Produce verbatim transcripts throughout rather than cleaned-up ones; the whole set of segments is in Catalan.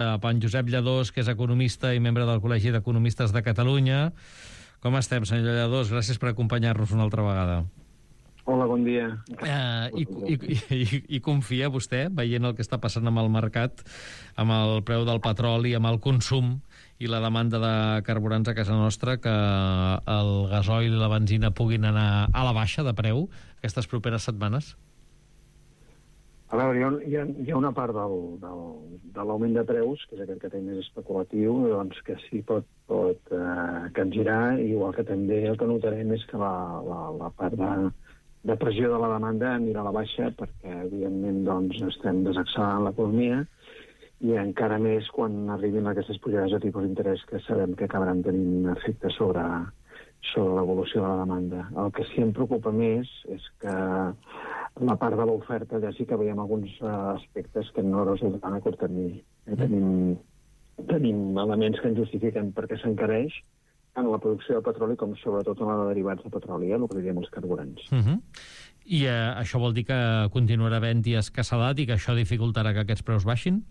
en Josep Lladós, que és economista i membre del Col·legi d'Economistes de Catalunya. Com estem, senyor Lladós? Gràcies per acompanyar-nos una altra vegada. Hola, bon dia. Eh, i, i, i, I confia vostè, veient el que està passant amb el mercat, amb el preu del petroli, amb el consum i la demanda de carburants a casa nostra, que el gasoil i la benzina puguin anar a la baixa de preu aquestes properes setmanes? A veure, hi ha, hi ha una part del, del, de l'augment de preus, que és aquest que té més especulatiu, doncs que sí pot, pot eh, capgirar, igual que també el que notarem és que la, la, la part de, de pressió de la demanda anirà a la baixa, perquè evidentment doncs, estem desaccelerant l'economia, i encara més quan arribin aquestes pujades de tipus d'interès que sabem que acabaran tenint efecte sobre, sobre l'evolució de la demanda. El que sí em preocupa més és que la part de l'oferta ja sí que veiem alguns uh, aspectes que no resultaran a curt termini. Eh, tenim, tenim elements que ens justifiquen perquè s'encareix tant la producció de petroli com sobretot en la de derivats de petroli, eh, el que diem els carburants. Uh -huh. I eh, això vol dir que continuarà havent-hi escassedat i que això dificultarà que aquests preus baixin?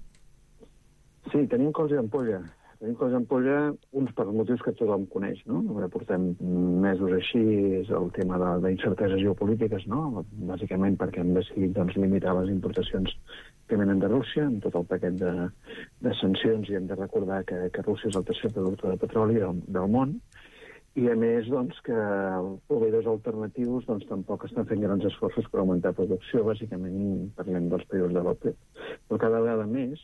Sí, tenim cols i ampolla. Tenim cols i ampolla, uns per motius que tothom coneix, no? Portem mesos així, és el tema d'incerteses geopolítiques, no? Bàsicament perquè hem decidit doncs, limitar les importacions que venen de Rússia, amb tot el paquet de, de sancions, i hem de recordar que, que Rússia és el tercer productor de petroli del, del món, i a més doncs, que els proveïdors alternatius doncs, tampoc estan fent grans esforços per augmentar producció, bàsicament parlem dels països de l'OPEP. Però cada vegada més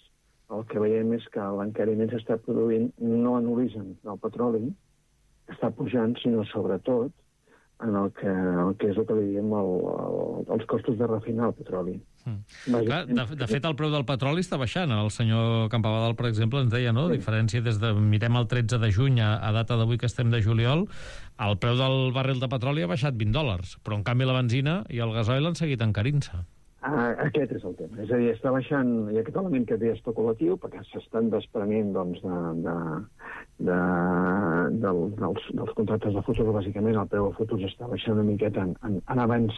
el que veiem és que l'encariment s'està produint no en origen del petroli, que està pujant, sinó sobretot en el que, el que és el que li diem el, el, els costos de refinar el petroli. Mm. Clar, de, de fet, el preu del petroli està baixant. El senyor Campabadal, per exemple, ens deia, no? Sí. Diferència des de, mirem el tretze de juny a, a data d'avui que estem de juliol, el preu del barril de petroli ha baixat vint dòlars, però en canvi la benzina i el gasoil han seguit encarint-se. Ah, aquest és el tema. És a dir, està baixant, hi ha aquest element que és especulatiu, perquè s'estan desprenent doncs, de, de, de, de, dels, dels contractes de futur. Bàsicament, el preu de futurs està baixant una miqueta en, en, en, avanç,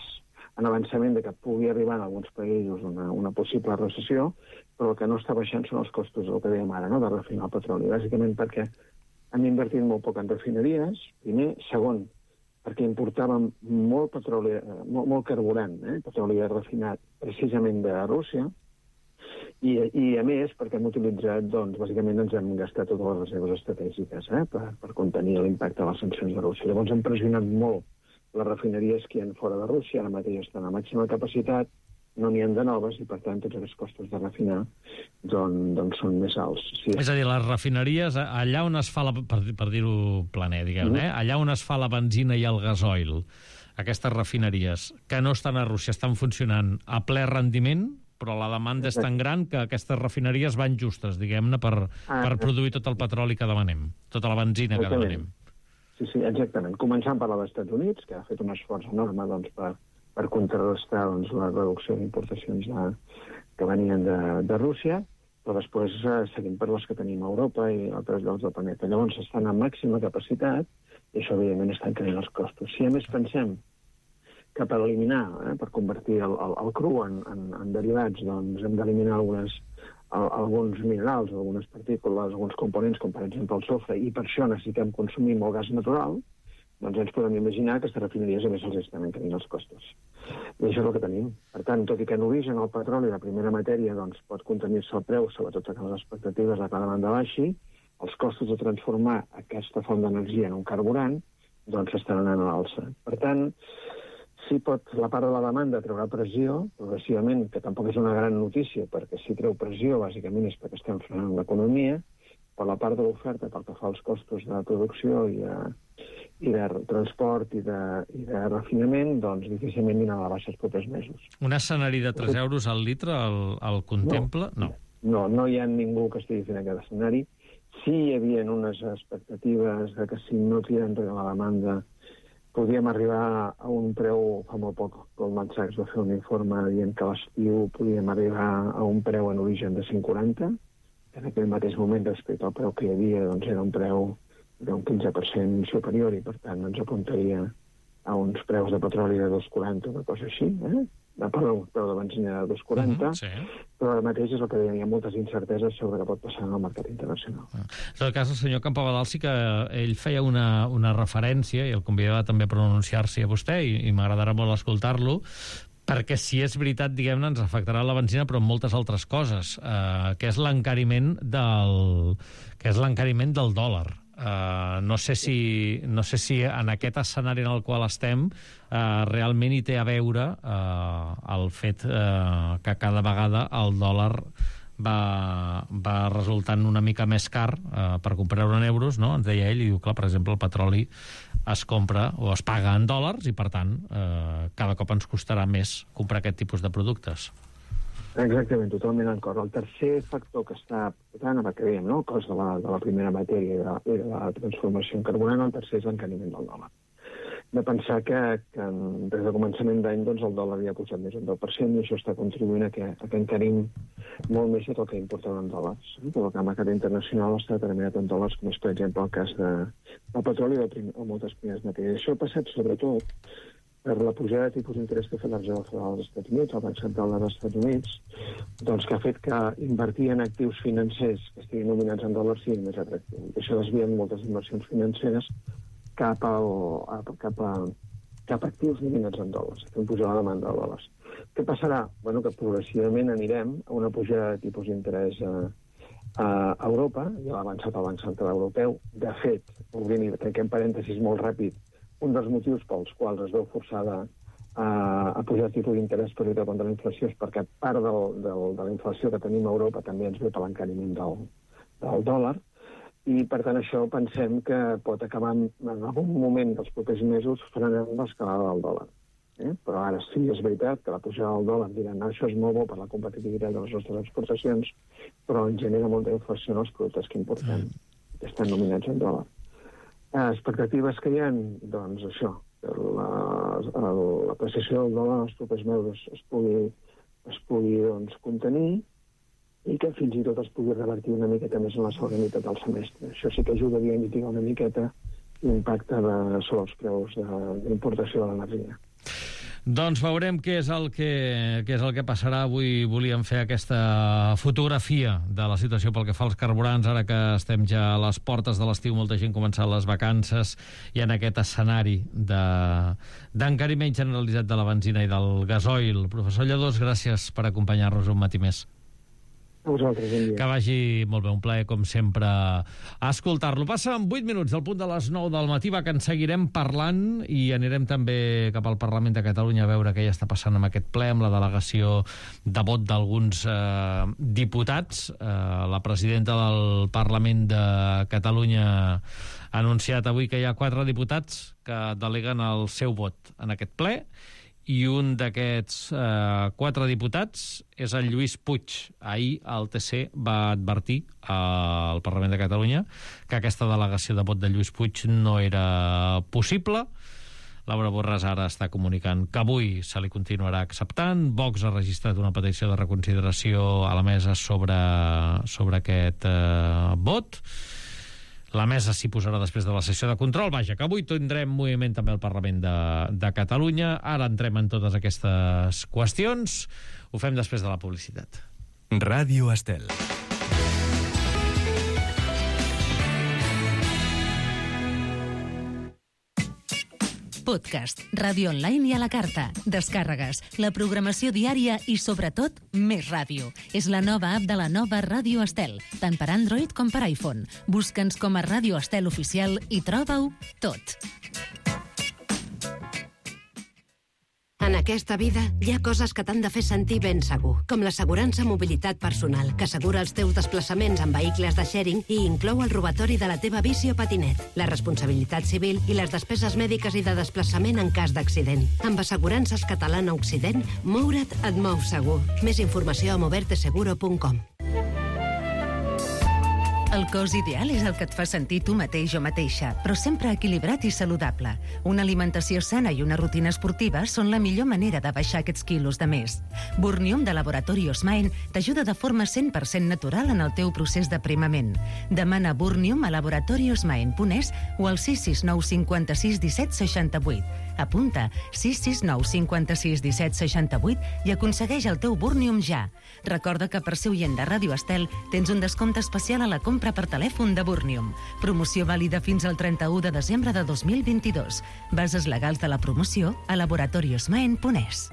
en avançament de que pugui arribar en alguns països una, una possible recessió, però el que no està baixant són els costos, el que dèiem ara, no?, de refinar el petroli. Bàsicament perquè han invertit molt poc en refineries, primer. Segon, perquè importàvem molt petroli, molt, molt carburant, eh? petroli refinat precisament de Rússia, i, i a més perquè hem utilitzat, doncs, bàsicament ens hem gastat totes les reserves estratègiques eh? per, per contenir l'impacte de les sancions de Rússia. Llavors hem pressionat molt les refineries que hi ha fora de Rússia, ara mateix estan a màxima capacitat, no n'hi ha de noves, i per tant tots aquests costos de refinar doncs, doncs són més alts. Sí. És a dir, les refineries, allà on es fa, la, per, per dir-ho planer, diguem, mm. eh? allà on es fa la benzina i el gasoil, aquestes refineries que no estan a Rússia estan funcionant a ple rendiment, però la demanda Exacte. És tan gran que aquestes refineries van justes, diguem-ne, per, ah, per produir tot el petroli que demanem, tota la benzina que demanem. Sí, sí, exactament. Començant per als Estats Units, que ha fet un esforç enorme doncs, per per contrarrestar doncs, la reducció d'importacions de, que venien de, de Rússia, però després eh, seguim per les que tenim a Europa i altres llocs del planeta. Llavors estan a màxima capacitat i això, evidentment, està encarint els costos. Si a més pensem que per eliminar, eh, per convertir el, el, el cru en, en, en derivats, doncs hem d'eliminar algunes, el, alguns minerals, algunes partícules, alguns components, com per exemple el sofre, i per això necessitem consumir molt gas natural, doncs ens podem imaginar que aquestes refineries a més els estan encarint els costos. I això és el que tenim. Per tant, tot i que en origen el petroli, la primera matèria, doncs, pot contenir-se el preu, sobretot que les expectatives de que la demanda baixi, els costos de transformar aquesta font d'energia en un carburant doncs estan anant a l'alça. Per tant, sí pot, la part de la demanda treurà pressió, progressivament, que tampoc és una gran notícia, perquè si treu pressió, bàsicament és perquè estem frenant l'economia, però la part de l'oferta, pel que fa als costos de producció i de, i de transport i de, i de refinament, doncs difícilment anirà a la baixa els propers mesos. Un escenari de tres euros al litre el, el contempla? No. no. No, no hi ha ningú que estigui fent aquest escenari. Sí hi havia unes expectatives de que si no tira enrere la demanda podíem arribar a un preu, fa molt poc, Goldman Sachs va fer un informe dient que a l'estiu podíem arribar a un preu en origen de cinc coma quaranta, en aquell mateix moment respecte al preu que hi havia, doncs era un preu d'un quinze per cent superior i per tant ens apuntaria a uns preus de petroli de dos coma quaranta, una cosa així, eh? perdó, preu de benzina de dos coma quaranta, uh-huh, sí. Però ara mateix és el que deia, hi ha moltes incerteses sobre què pot passar en el mercat internacional. En tot cas, el senyor Campabadal sí que ell feia una, una referència, i el convidava també a pronunciar-s'hi a vostè, i, i m'agradarà molt escoltar-lo, perquè si és veritat, diguem-ne, ens afectarà la benzina, però en moltes altres coses, eh, que és l'encariment del, que és l'encariment del dòlar. Uh, no sé si, no sé si en aquest escenari en el qual estem uh, realment hi té a veure uh, el fet uh, que cada vegada el dòlar va, va resultant una mica més car uh, per comprar-ho en euros, no? Ens deia ell, i diu, clar, per exemple, el petroli es compra o es paga en dòlars i, per tant, uh, cada cop ens costarà més comprar aquest tipus de productes. Exactament, totalment d'acord. El tercer factor que està portant, amb el que dèiem, no? El cost de la, de la primera matèria i de, i de la transformació en carburant, el tercer és l'encariment del dòlar. De pensar que, que des del començament d'any doncs, el dòlar ja ha pujat més d'un deu per cent i això està contribuint a que, a que encarim molt més tot el que importem en dòlars. Tot el que el mercat internacional està determinat en dòlars, com és, per exemple, el cas de, del petroli o de moltes primeres matèries. Això ha passat, sobretot, per la pujada de tipus d'interès que ha fet la Reserva Federal dels Estats Units, el Banc Central dels Estats Units, doncs que ha fet que invertir en actius financers que estiguin nominats en dòlars sigui més atractiu. I això desvia moltes inversions financeres cap a, a, cap a, cap a actius nominats en dòlars, fent pujar la demanda de dòlars. Què passarà? Bueno, que progressivament anirem a una pujada de tipus d'interès a, a Europa, ja l'ha avançat el Banc Central Europeu. De fet, obrint i tanquem parèntesis molt ràpid, un dels motius pels quals es veu forçada a, a pujar el tipus d'interès per lluitar contra la inflació és perquè part del, del, de la inflació que tenim a Europa també ens ve per l'encariment del, del dòlar, i per tant això pensem que pot acabar en, en algun moment dels propers mesos frenant l'escalada del dòlar. Eh? Però ara sí, és veritat que la pujada del dòlar diran no, això és molt bo per la competitivitat de les nostres exportacions, però en genera molta inflació en els productes que importem, que estan nominats en dòlar. Expectatives que hi ha, doncs això, la, l'apreciació del dòlar en els propers mesos es pugui, es pugui doncs, contenir i que fins i tot es pugui revertir una miqueta més en la segona meitat del semestre. Això sí que ajudaria a mitigar una miqueta l'impacte de, sobre els preus d'importació de l'energia. Doncs veurem què és el que, què és el que passarà. Avui volíem fer aquesta fotografia de la situació pel que fa als carburants, ara que estem ja a les portes de l'estiu, molta gent començant les vacances, i en aquest escenari de, d'encariment generalitzat de la benzina i del gasoil. Professor Lladós, gràcies per acompanyar-nos un matí més. A vosaltres, bon dia. Que vagi molt bé, un plaer, com sempre, escoltar-lo. Passa en vuit minuts del punt de les nou del matí, va, que en seguirem parlant i anirem també cap al Parlament de Catalunya a veure què hi està passant amb aquest ple, amb la delegació de vot d'alguns eh, diputats. Eh, la presidenta del Parlament de Catalunya ha anunciat avui que hi ha quatre diputats que deleguen el seu vot en aquest ple, i un d'aquests eh, quatre diputats és el Lluís Puig. Ahir el T C va advertir al Parlament de Catalunya que aquesta delegació de vot de Lluís Puig no era possible. Laura Borràs ara està comunicant que avui se li continuarà acceptant. Vox ha registrat una petició de reconsideració a la mesa sobre, sobre aquest eh, vot. La mesa s'hi posarà després de la sessió de control. Vaja, que avui tindrem moviment també al Parlament de, de Catalunya. Ara entrem en totes aquestes qüestions. Ho fem després de la publicitat. Ràdio Estel. Podcast, ràdio online i a la carta, descàrregues, la programació diària i, sobretot, més ràdio. És la nova app de la nova Ràdio Estel, tant per Android com per iPhone. Busca'ns com a Ràdio Estel Oficial i troba-ho tot. En aquesta vida hi ha coses que t'han de fer sentir ben segur, com l'assegurança mobilitat personal, que assegura els teus desplaçaments en vehicles de sharing i inclou el robatori de la teva bici o patinet, la responsabilitat civil i les despeses mèdiques i de desplaçament en cas d'accident. Amb Assegurances Catalana Occident, moure't et mou segur. Més informació a moverte seguro punt com. El cos ideal és el que et fa sentir tu mateix o mateixa, però sempre equilibrat i saludable. Una alimentació sana i una rutina esportiva són la millor manera de baixar aquests quilos de més. Burnium de Laboratori Osmaen t'ajuda de forma cent per cent natural en el teu procés d'aprimament. Demana Burnium a laboratori osmaen punt es o al sis sis nou cinquanta-sis disset seixanta-vuit. Apunta sis sis nou cinquanta-sis disset seixanta-vuit i aconsegueix el teu Burnium ja. Recorda que per ser oient de Ràdio Estel tens un descompte especial a la compra per telèfon de Burnium. Promoció vàlida fins al trenta-u de desembre de dos mil vint-i-dos. Bases legals de la promoció a laboratoriosmaen punt es.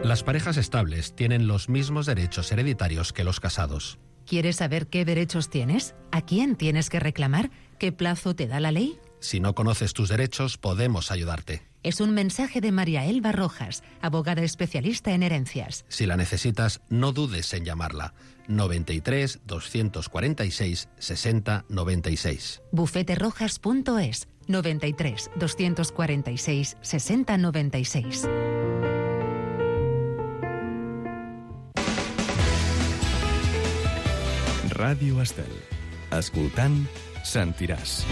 Las parejas estables tienen los mismos derechos hereditarios que los casados. ¿Quieres saber qué derechos tienes? ¿A quién tienes que reclamar? ¿Qué plazo te da la ley? Si no conoces tus derechos, podemos ayudarte. Es un mensaje de María Elba Rojas, abogada especialista en herencias. Si la necesitas, no dudes en llamarla. noventa y tres, doscientos cuarenta y seis, sesenta, noventa y seis. bufete rojas punto es, noventa y tres, doscientos cuarenta y seis, sesenta, noventa y seis. Ràdio Estel. Escoltant, sentiràs.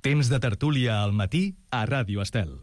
Temps de tertúlia al matí a Ràdio Estel.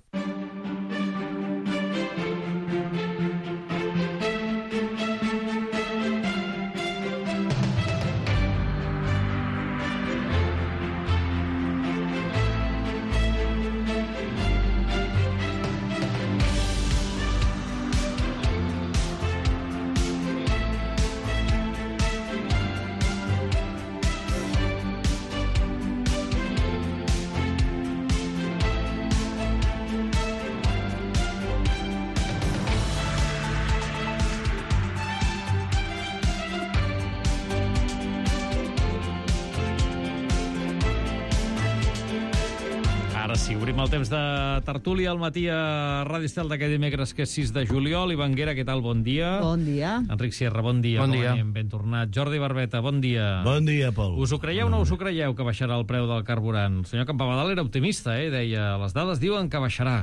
Obrim el temps de tertúlia al matí a Ràdio Estel d'aquest dimecres, que és sis de juliol. Ivan Guera, què tal? Bon dia. Bon dia. Enric Sierra, bon dia. Bon dia. Anem, ben tornat. Jordi Barbeta, bon dia. Bon dia, Pol. Us ho creieu o no us ho creieu, que baixarà el preu del carburant? El senyor Campabadal era optimista, eh? Deia, les dades diuen que baixarà.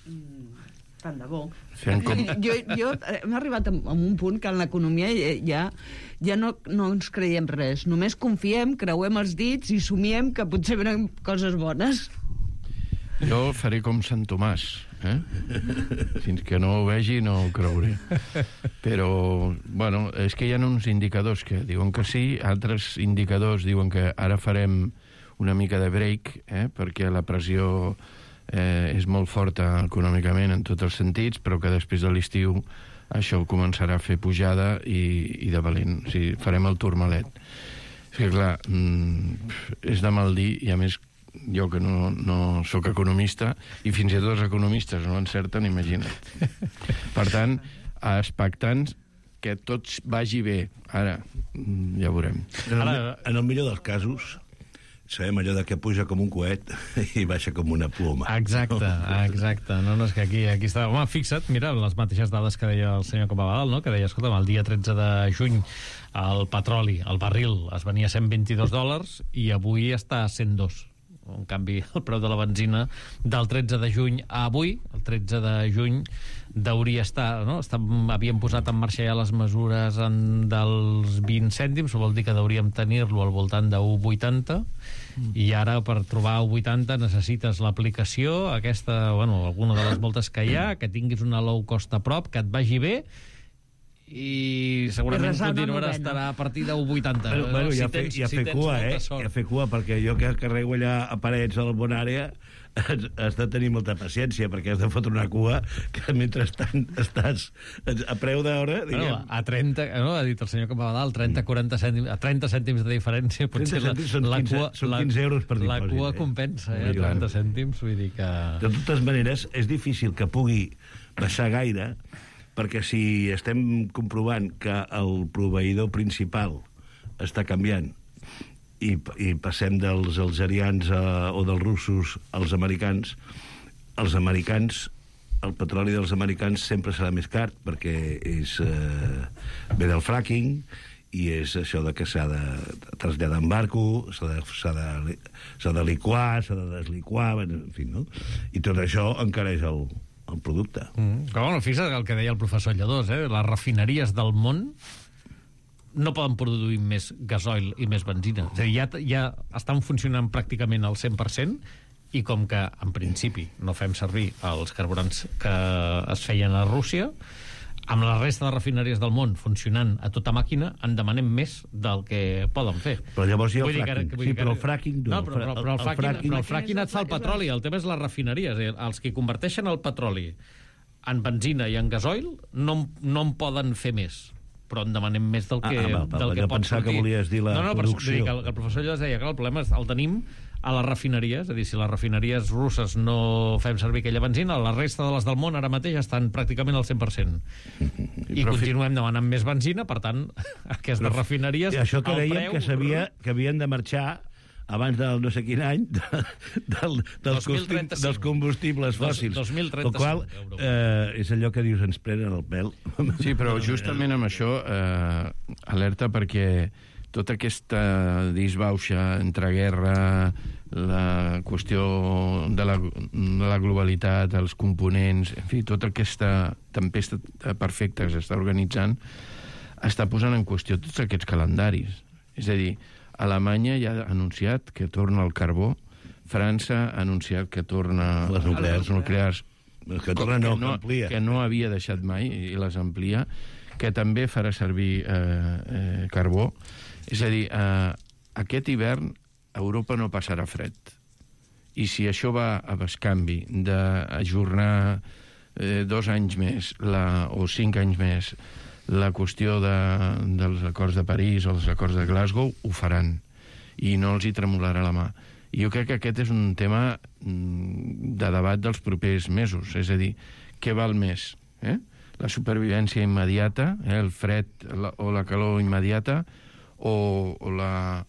Mm, tant de bo. Fem com... Jo, jo hem arribat a un punt que en l'economia ja, ja no, no ens creiem res. Només confiem, creuem els dits i somiem que potser venen coses bones. Jo faré com Sant Tomàs, eh? Fins que no ho vegi no ho creuré. Però, bueno, és que hi ha uns indicadors que diuen que sí, altres indicadors diuen que ara farem una mica de break, eh? Perquè la pressió eh, és molt forta econòmicament en tots els sentits, però que després de l'estiu això començarà a fer pujada i, i de valent. O sigui, farem el turmalet. És que, clar, mm, és de mal dir, i a més jo que no, no sóc economista, i fins i tot els economistes no encerten, imagina't. Per tant, expectants que tot vagi bé. Ara, ja veurem. En el, en el millor dels casos, sabem allò de que puja com un coet i baixa com una ploma. Exacte, exacte. No, no, és que aquí, aquí està... Home, fixa't, mira, les mateixes dades que deia el senyor Campabadal, no? Que deia, escolta, el dia tretze de juny el petroli, el barril, es venia a cent vint-i-dos dòlars i avui està a cent dos. En canvi, el preu de la benzina del tretze de juny a avui, el tretze de juny, hauria estar, no? Està, havíem posat en marxa ja les mesures en, dels vint cèntims, vol dir que hauríem tenir-lo al voltant de u coma vuitanta, mm. i ara per trobar u coma vuitanta necessites l'aplicació, aquesta, bueno, alguna de les moltes que hi ha, que tinguis una low cost a prop, que et vagi bé, i segurament continuarà a estar a partir de u coma vuitanta. Bueno, bueno, si ja tens, fe, ja si fer cua, eh? sort. Ja fer cua, perquè jo que carrego allà a parets a la Bonària has, has de tenir molta paciència, perquè has de fotre una cua que mentrestant estàs a preu d'hora, diguem... Bueno, a trenta, no? Ha dit el senyor Campabadal, trenta a quaranta cèntims, a trenta cèntims de diferència, potser la, la cua, són quinze euros per dipòsit. La cua compensa, eh? trenta cèntims, vull dir que... De totes maneres, és difícil que pugui baixar gaire, perquè si estem comprovant que el proveïdor principal està canviant i, i passem dels algerians a, o dels russos als americans, els americans, el petroli dels americans sempre serà més car, perquè és eh, ve del fracking i és això de que s'ha de traslladar en barco, s'ha de, s'ha de, s'ha de liquar, s'ha de desliquar, en fi, no? I tot això encareix el, el producte. Mm. Però, bueno, fixa't el que deia el professor Lledós, eh? Les refineries del món no poden produir més gasoil i més benzina. És a dir, ja, ja estan funcionant pràcticament al cent per cent, i com que, en principi, no fem servir els carburants que es feien a Rússia, amb la resta de refineries del món funcionant a tota màquina, en demanem més del que poden fer. Però llavors hi ha el Vull dir que- fracking. vull Sí, dir que- però el fracking no. No, però, però, però, el, El fracking, fracking- però el fracking et fa el petroli, el tema és les refineries. eh? Els que converteixen el petroli en benzina i en gasoil no, no en poden fer més, però en demanem més del que, Ah, ah, val, del que jo pot pensava que sortir. volies dir la no, no, però producció. vull dir que el, que el professor Llos deia que el problema és, el tenim a les refineries, és a dir, si les refineries russes no fem servir aquella benzina, la resta de les del món ara mateix estan pràcticament al cent per cent. I però fi- continuem demanant més benzina, per tant, aquestes Però, refineries... I això que el dèiem preu- que, sabia, que havien de marxar abans del no sé quin any de, del, dels, dos mil costi- trenta-cinc. dels combustibles Dos- fòssils. dos mil El qual trenta-cinc, eh, és allò que dius, ens prenen el pèl. Sí, però justament amb això eh, alerta perquè tota aquesta disbauxa entre guerra, la qüestió de la, de la globalitat, els components, en fi, tota aquesta tempesta perfecta que s'està organitzant està posant en qüestió tots aquests calendaris. És a dir, Alemanya ja ha anunciat que torna el carbó, França ha anunciat que torna Les nuclears. les nuclears Que torna no, que no, que amplia. que no havia deixat mai i les amplia, que també farà servir eh, eh, carbó. És a dir, eh, aquest hivern Europa no passarà fred. I si això va a bescanvi d'ajornar eh, dos anys més la, o cinc anys més la qüestió de, dels acords de París o dels acords de Glasgow, ho faran. I no els hi tremolarà la mà. I jo crec que aquest és un tema mm, de debat dels propers mesos. És a dir, què val més? Eh? La supervivència immediata, eh? el fred la, o la calor immediata, o, o, la,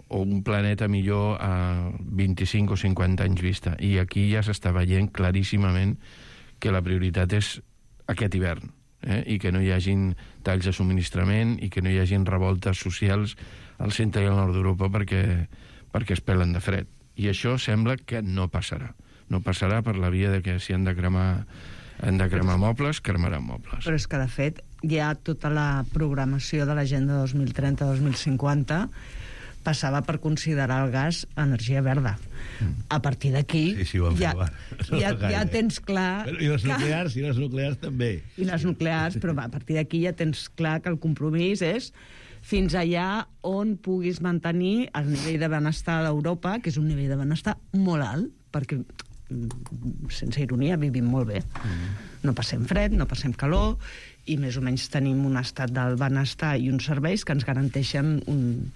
o un planeta millor a vint-i-cinc o cinquanta anys vista. I aquí ja s'està veient claríssimament que la prioritat és aquest hivern. Eh? I que no hi hagin talls de subministrament i que no hi hagin revoltes socials al centre i al nord d'Europa perquè, perquè es pelen de fred. I això sembla que no passarà. No passarà per la via de que si han de cremar, han de cremar mobles, cremaran mobles. Però és que, de fet, hi ha tota la programació de l'agenda dos mil trenta dos mil cinquanta passava per considerar el gas energia verda. A partir d'aquí Sí, sí, ho han fet, ja, va. No ja, gaire. ja tens clar... Però, I les que- nuclears, i les nuclears també. I les nuclears, però a partir d'aquí ja tens clar que el compromís és fins allà on puguis mantenir el nivell de benestar d'Europa, que és un nivell de benestar molt alt, perquè, mm, sense ironia, vivim molt bé. No passem fred, no passem calor, i més o menys tenim un estat del benestar i uns serveis que ens garanteixen un,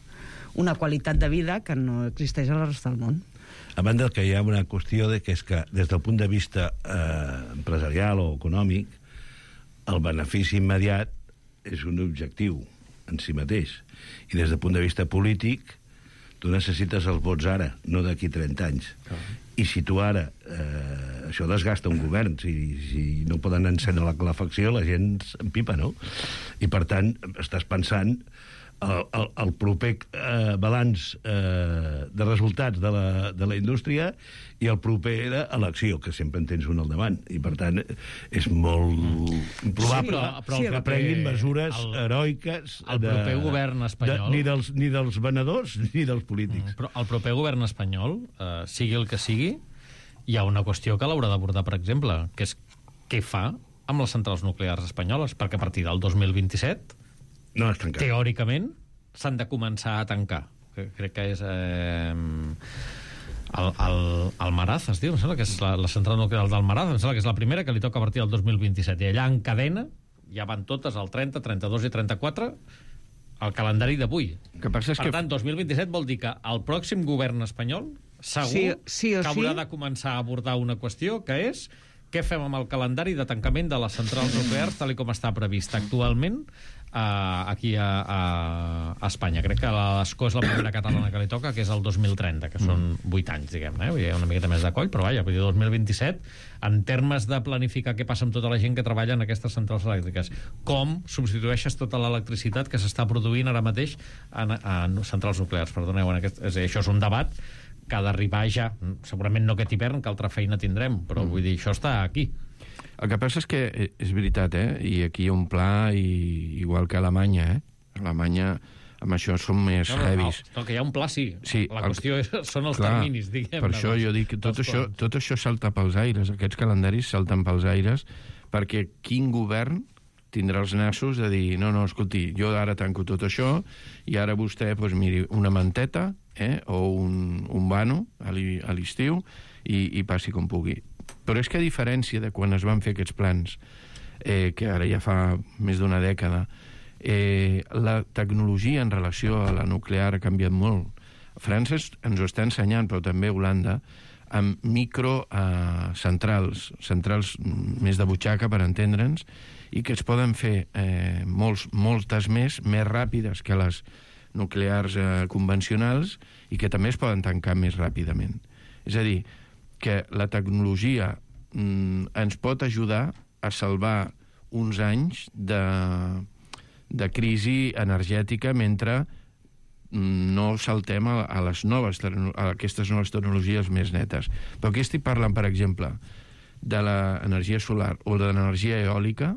una qualitat de vida que no existeix a la resta del món. A banda que hi ha una qüestió de que és que des del punt de vista eh, empresarial o econòmic, el benefici immediat és un objectiu en si mateix. I des del punt de vista polític, tu necessites els vots ara, no d'aquí trenta anys. I si tu ara... Eh, això desgasta un govern. Si, si no poden encendre la calefacció, la gent empipa, no? I, per tant, estàs pensant el, el, el proper eh, balanç eh, de resultats de la, de la indústria i el proper elecció, que sempre en tens un al davant. I, per tant, és molt improbable Sí, però- però el que proper- prenguin mesures el- heroiques el proper govern espanyol- de, ni, dels, ni dels venedors ni dels polítics. Però el proper govern espanyol, eh, sigui el que sigui, hi ha una qüestió que l'haurà d'abordar, per exemple, que és què fa amb les centrals nuclears espanyoles, perquè a partir del dos mil vint-i-set, No és tancat. teòricament, s'han de començar a tancar. Que, crec que és... Eh, el, el, el Maraz, es diu, em sembla que és la, la central nuclear del Maraz, em sembla que és la primera que li toca a partir del dos mil vint-i-set. I allà en cadena ja van totes al trenta, trenta-dos i trenta-quatre el calendari d'avui. El que passa és Per que... tant, dos mil vint-i-set vol dir que el pròxim govern espanyol segur Sí, sí o que haurà sí. de començar a abordar una qüestió que és què fem amb el calendari de tancament de les centrals nuclears tal i com està previst actualment eh, aquí a, a, a Espanya. Crec que l'Escó és la primera catalana que li toca, que és el dos mil trenta, que són vuit anys, diguem-ne. Eh? Vull dir, una miqueta més de coll, però vaja, vull dir, dos mil vint-i-set, en termes de planificar què passa amb tota la gent que treballa en aquestes centrals elèctriques. Com substitueixes tota l'electricitat que s'està produint ara mateix en, en centrals nuclears. Perdoneu, en aquest, és a dir, això és un debat que ha d'arribar ja, segurament no aquest hivern, que altra feina tindrem, però vull dir, això està aquí. El que passa és que eh, és veritat, eh? I aquí hi ha un pla, i, igual que a Alemanya, eh? A Alemanya, amb això són més No, no, heavies. no, no, que hi ha un pla, sí. Sí, la el- qüestió és, són els Clar, terminis, diguem. per això jo dic que tot això, tot això salta pels aires, aquests calendaris salten pels aires, perquè quin govern tindrà els nassos de dir, no, no, escolti, jo ara tanco tot això i ara vostè, doncs, miri, una manteta eh, o un, un vano a l'estiu i, i passi com pugui. Però és que a diferència de quan es van fer aquests plans, eh, que ara ja fa més d'una dècada, eh, la tecnologia en relació a la nuclear ha canviat molt. França ens ho està ensenyant, però també Holanda, amb microcentrals, eh, centrals més de butxaca, per entendre'ns, i que es poden fer eh, molts, moltes més, més ràpides que les nuclears eh, convencionals, i que també es poden tancar més ràpidament. És a dir, que la tecnologia mm, ens pot ajudar a salvar uns anys de, de crisi energètica mentre no saltem a, a les noves a aquestes noves tecnologies més netes. Però aquí estic parlant, per exemple, de l'energia solar o de l'energia eòlica,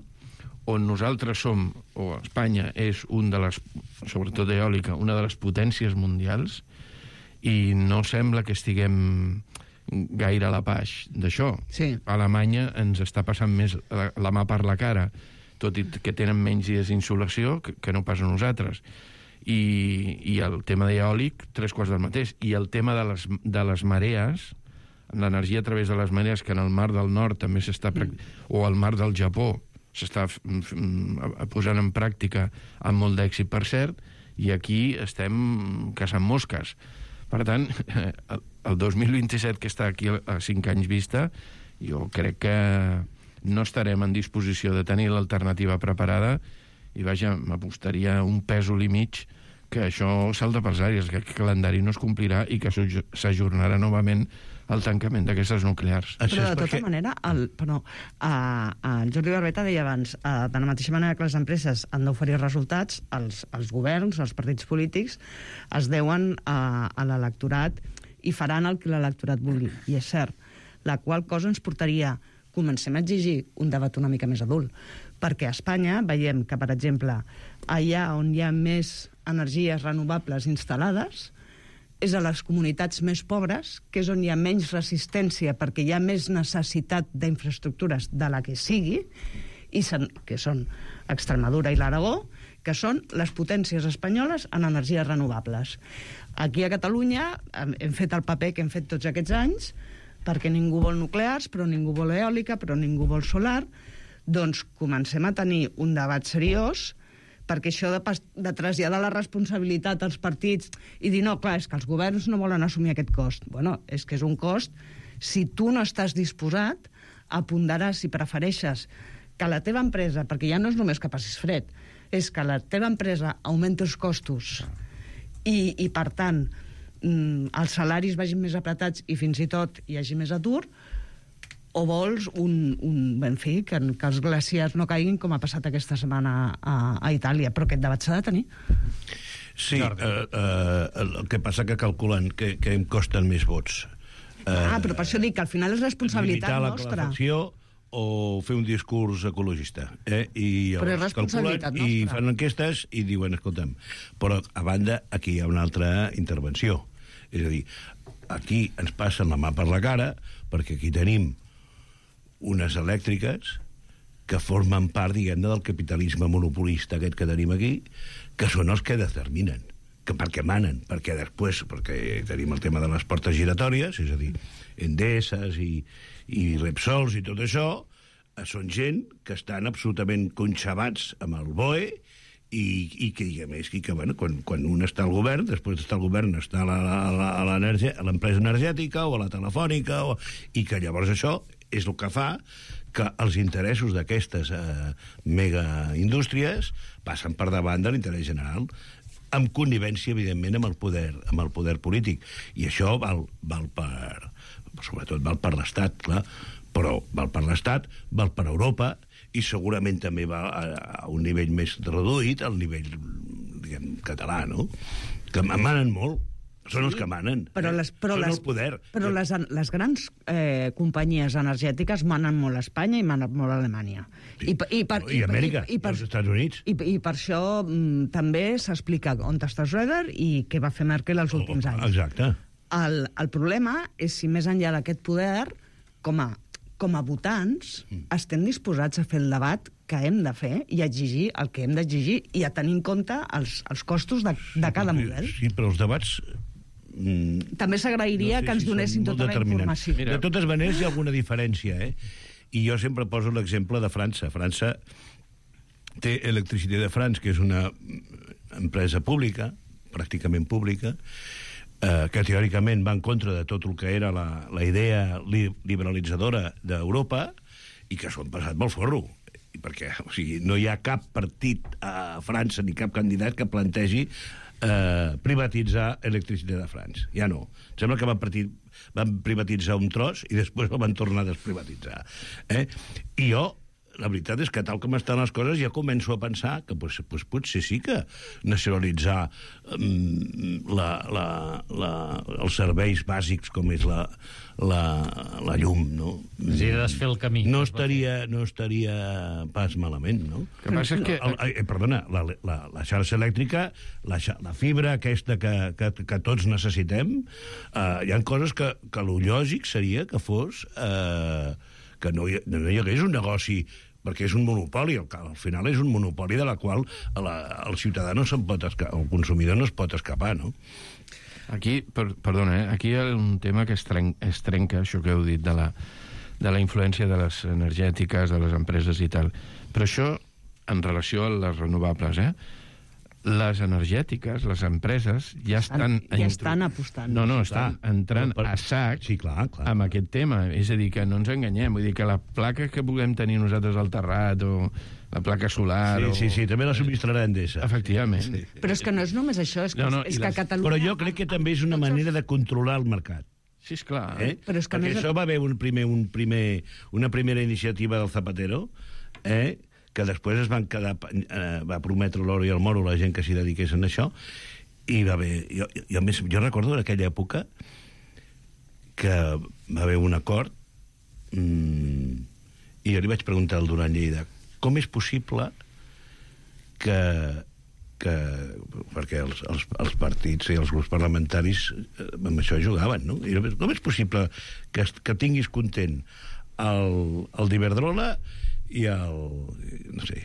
on nosaltres som, o Espanya és un de les, sobretot eòlica, una de les potències mundials, i no sembla que estiguem gaire a la paix d'això. Sí. Alemanya ens està passant més la, la mà per la cara, tot i que tenen menys dies d'insolació que, que no pas a nosaltres. I, i el tema d'eòlic, tres quarts del mateix. I el tema de les, de les marees, l'energia a través de les marees, que en el mar del nord també s'està... Mm. o al mar del Japó s'està posant en pràctica amb molt d'èxit, per cert, i aquí estem caçant mosques. Per tant, el dos mil vint-i-set, que està aquí a cinc anys vista, jo crec que no estarem en disposició de tenir l'alternativa preparada, i vaja, m'apostaria un pèsol i mig que això salta pels aires, que aquest calendari no es complirà i que s'ajornarà novament el tancament d'aquestes nuclears. Però de tota manera, el, però, a, a, el Jordi Barbeta deia abans, a, de la mateixa manera que les empreses han d'oferir resultats, els, els governs, els partits polítics, es deuen a, a l'electorat i faran el que l'electorat vulgui. I és cert, la qual cosa ens portaria, comencem a exigir un debat una mica més adult, perquè a Espanya veiem que, per exemple, allà on hi ha més energies renovables instal·lades, és a les comunitats més pobres, que és on hi ha menys resistència perquè hi ha més necessitat d'infraestructures de la que sigui, i sen, que són Extremadura i l'Aragó, que són les potències espanyoles en energies renovables. Aquí a Catalunya hem fet el paper que hem fet tots aquests anys, perquè ningú vol nuclears, però ningú vol eòlica, però ningú vol solar. Doncs comencem a tenir un debat seriós, perquè això de, de traslladar la responsabilitat als partits i dir, no, clar, és que els governs no volen assumir aquest cost. Bueno, és que és un cost si tu no estàs disposat a ponderar si prefereixes que la teva empresa, perquè ja no és només que passis fred, és que la teva empresa augmenti els costos i, i per tant, els salaris vagin més apretats i fins i tot hi hagi més atur, o vols un, un en fi, que, que els glaciars no caiguin com ha passat aquesta setmana a, a Itàlia, però aquest debat s'ha de tenir. Sí, eh, eh, el que passa que calculen que, que em costen més vots. Eh, ah, però per això dic que al final és responsabilitat nostra. Limitar la calefacció o fer un discurs ecologista. Eh? I però és responsabilitat nostra. I fan enquestes i diuen, escolta'm, però a banda aquí hi ha una altra intervenció. És a dir, aquí ens passen la mà per la cara perquè aquí tenim unes elèctriques que formen part, diguem-ne, del capitalisme monopolista aquest que tenim aquí, que són els que determinen, que perquè manen, perquè després, perquè tenim el tema de les portes giratòries, és a dir, Endeses i, i Repsols i tot això, són gent que estan absolutament conxabats amb el B O E i, i que, i a més, i que bueno, quan, quan un està al govern, després d'estar al govern està a l'empresa energètica o a la telefònica, o, i que llavors això és el que fa que els interessos d'aquestes eh, megaindústries passen per davant de l'interès general, amb connivència, evidentment, amb el poder, amb el poder polític. I això val, val per... sobretot val per l'Estat, clar, però val per l'Estat, val per Europa, i segurament també va a, a un nivell més reduït, al nivell, diguem, català, no? Que manen molt. Són sí, els que manen. Però les, però són les, el poder. Però les, les grans eh, companyies energètiques manen molt a Espanya i manen molt a Alemanya. Sí. I, i, per, I, I Amèrica, i, i, per, i els Estats Units. I, i per això mm, també s'explica on està Schröder i què va fer Merkel els últims anys. Exacte. El, el problema és si més enllà d'aquest poder, com a, com a votants, mm. estem disposats a fer el debat que hem de fer i exigir el que hem d'exigir i a tenir en compte els, els costos de, de cada model. Sí, però els debats... Mm, també s'agrairia no sé que ens si donessin tota la informació. Mira. De totes maneres, hi ha alguna diferència, eh? I jo sempre poso l'exemple de França. França té Electricité de France, que és una empresa pública, pràcticament pública, eh, que teòricament va en contra de tot el que era la, la idea li, liberalitzadora d'Europa i que s'ho han passat molt forro. Perquè o sigui, no hi ha cap partit a França ni cap candidat que plantegi eh, privatitzar Electricité de France. Ja no. Em sembla que van, partir, van privatitzar un tros i després el van tornar a desprivatitzar. Eh? I jo, la veritat és que tal com estan les coses ja començo a pensar que pues, pues, potser sí que nacionalitzar um, la, la, la, els serveis bàsics com és la, la, la llum, no? Sí, desfer el camí. No estaria, no estaria pas malament, no? Que passa que... El, eh, perdona, la, la, la xarxa elèctrica, la, la fibra aquesta que, que, que tots necessitem, eh, hi ha coses que, que lo lògic seria que fos... Eh, que no hi, no hi hagués un negoci, perquè és un monopoli, al, al final és un monopoli de la qual la, el ciutadà no se'n pot escapar, el consumidor no es pot escapar, no? Aquí, per, perdona, eh? Aquí hi ha un tema que es, tren, es trenca, això que heu dit, de la, de la influència de les energètiques, de les empreses i tal. Però això en relació a les renovables, eh? Les energètiques, les empreses, ja estan... Ja intro... estan apostant. No, no, estan entrant per... a sac sí, clar, clar. amb aquest tema. És a dir, que no ens enganyem. Vull dir que la placa que puguem tenir nosaltres al terrat o la placa solar... Sí, o... sí, sí, també la subministrarà Endesa. Efectivament. Sí. Però és que no és només això, és que, no, no, és que les... Catalunya... Però jo crec que també és una manera de controlar el mercat. Sí, esclar. Eh? Però és que Perquè més... això va haver un primer, un primer, una primera iniciativa del Zapatero, eh? que després es van quedar, eh, va prometre l'oro i el moro la gent que s'hi dediquessin a això, i va haver... Jo, jo, més, jo recordo en aquella època que va haver un acord mmm, i jo li vaig preguntar al Duran Lleida com és possible que, que perquè els, els, els partits i els grups parlamentaris eh, amb això jugaven, no? I com és possible que, que tinguis content el, el d'Iberdrola i el, no sé,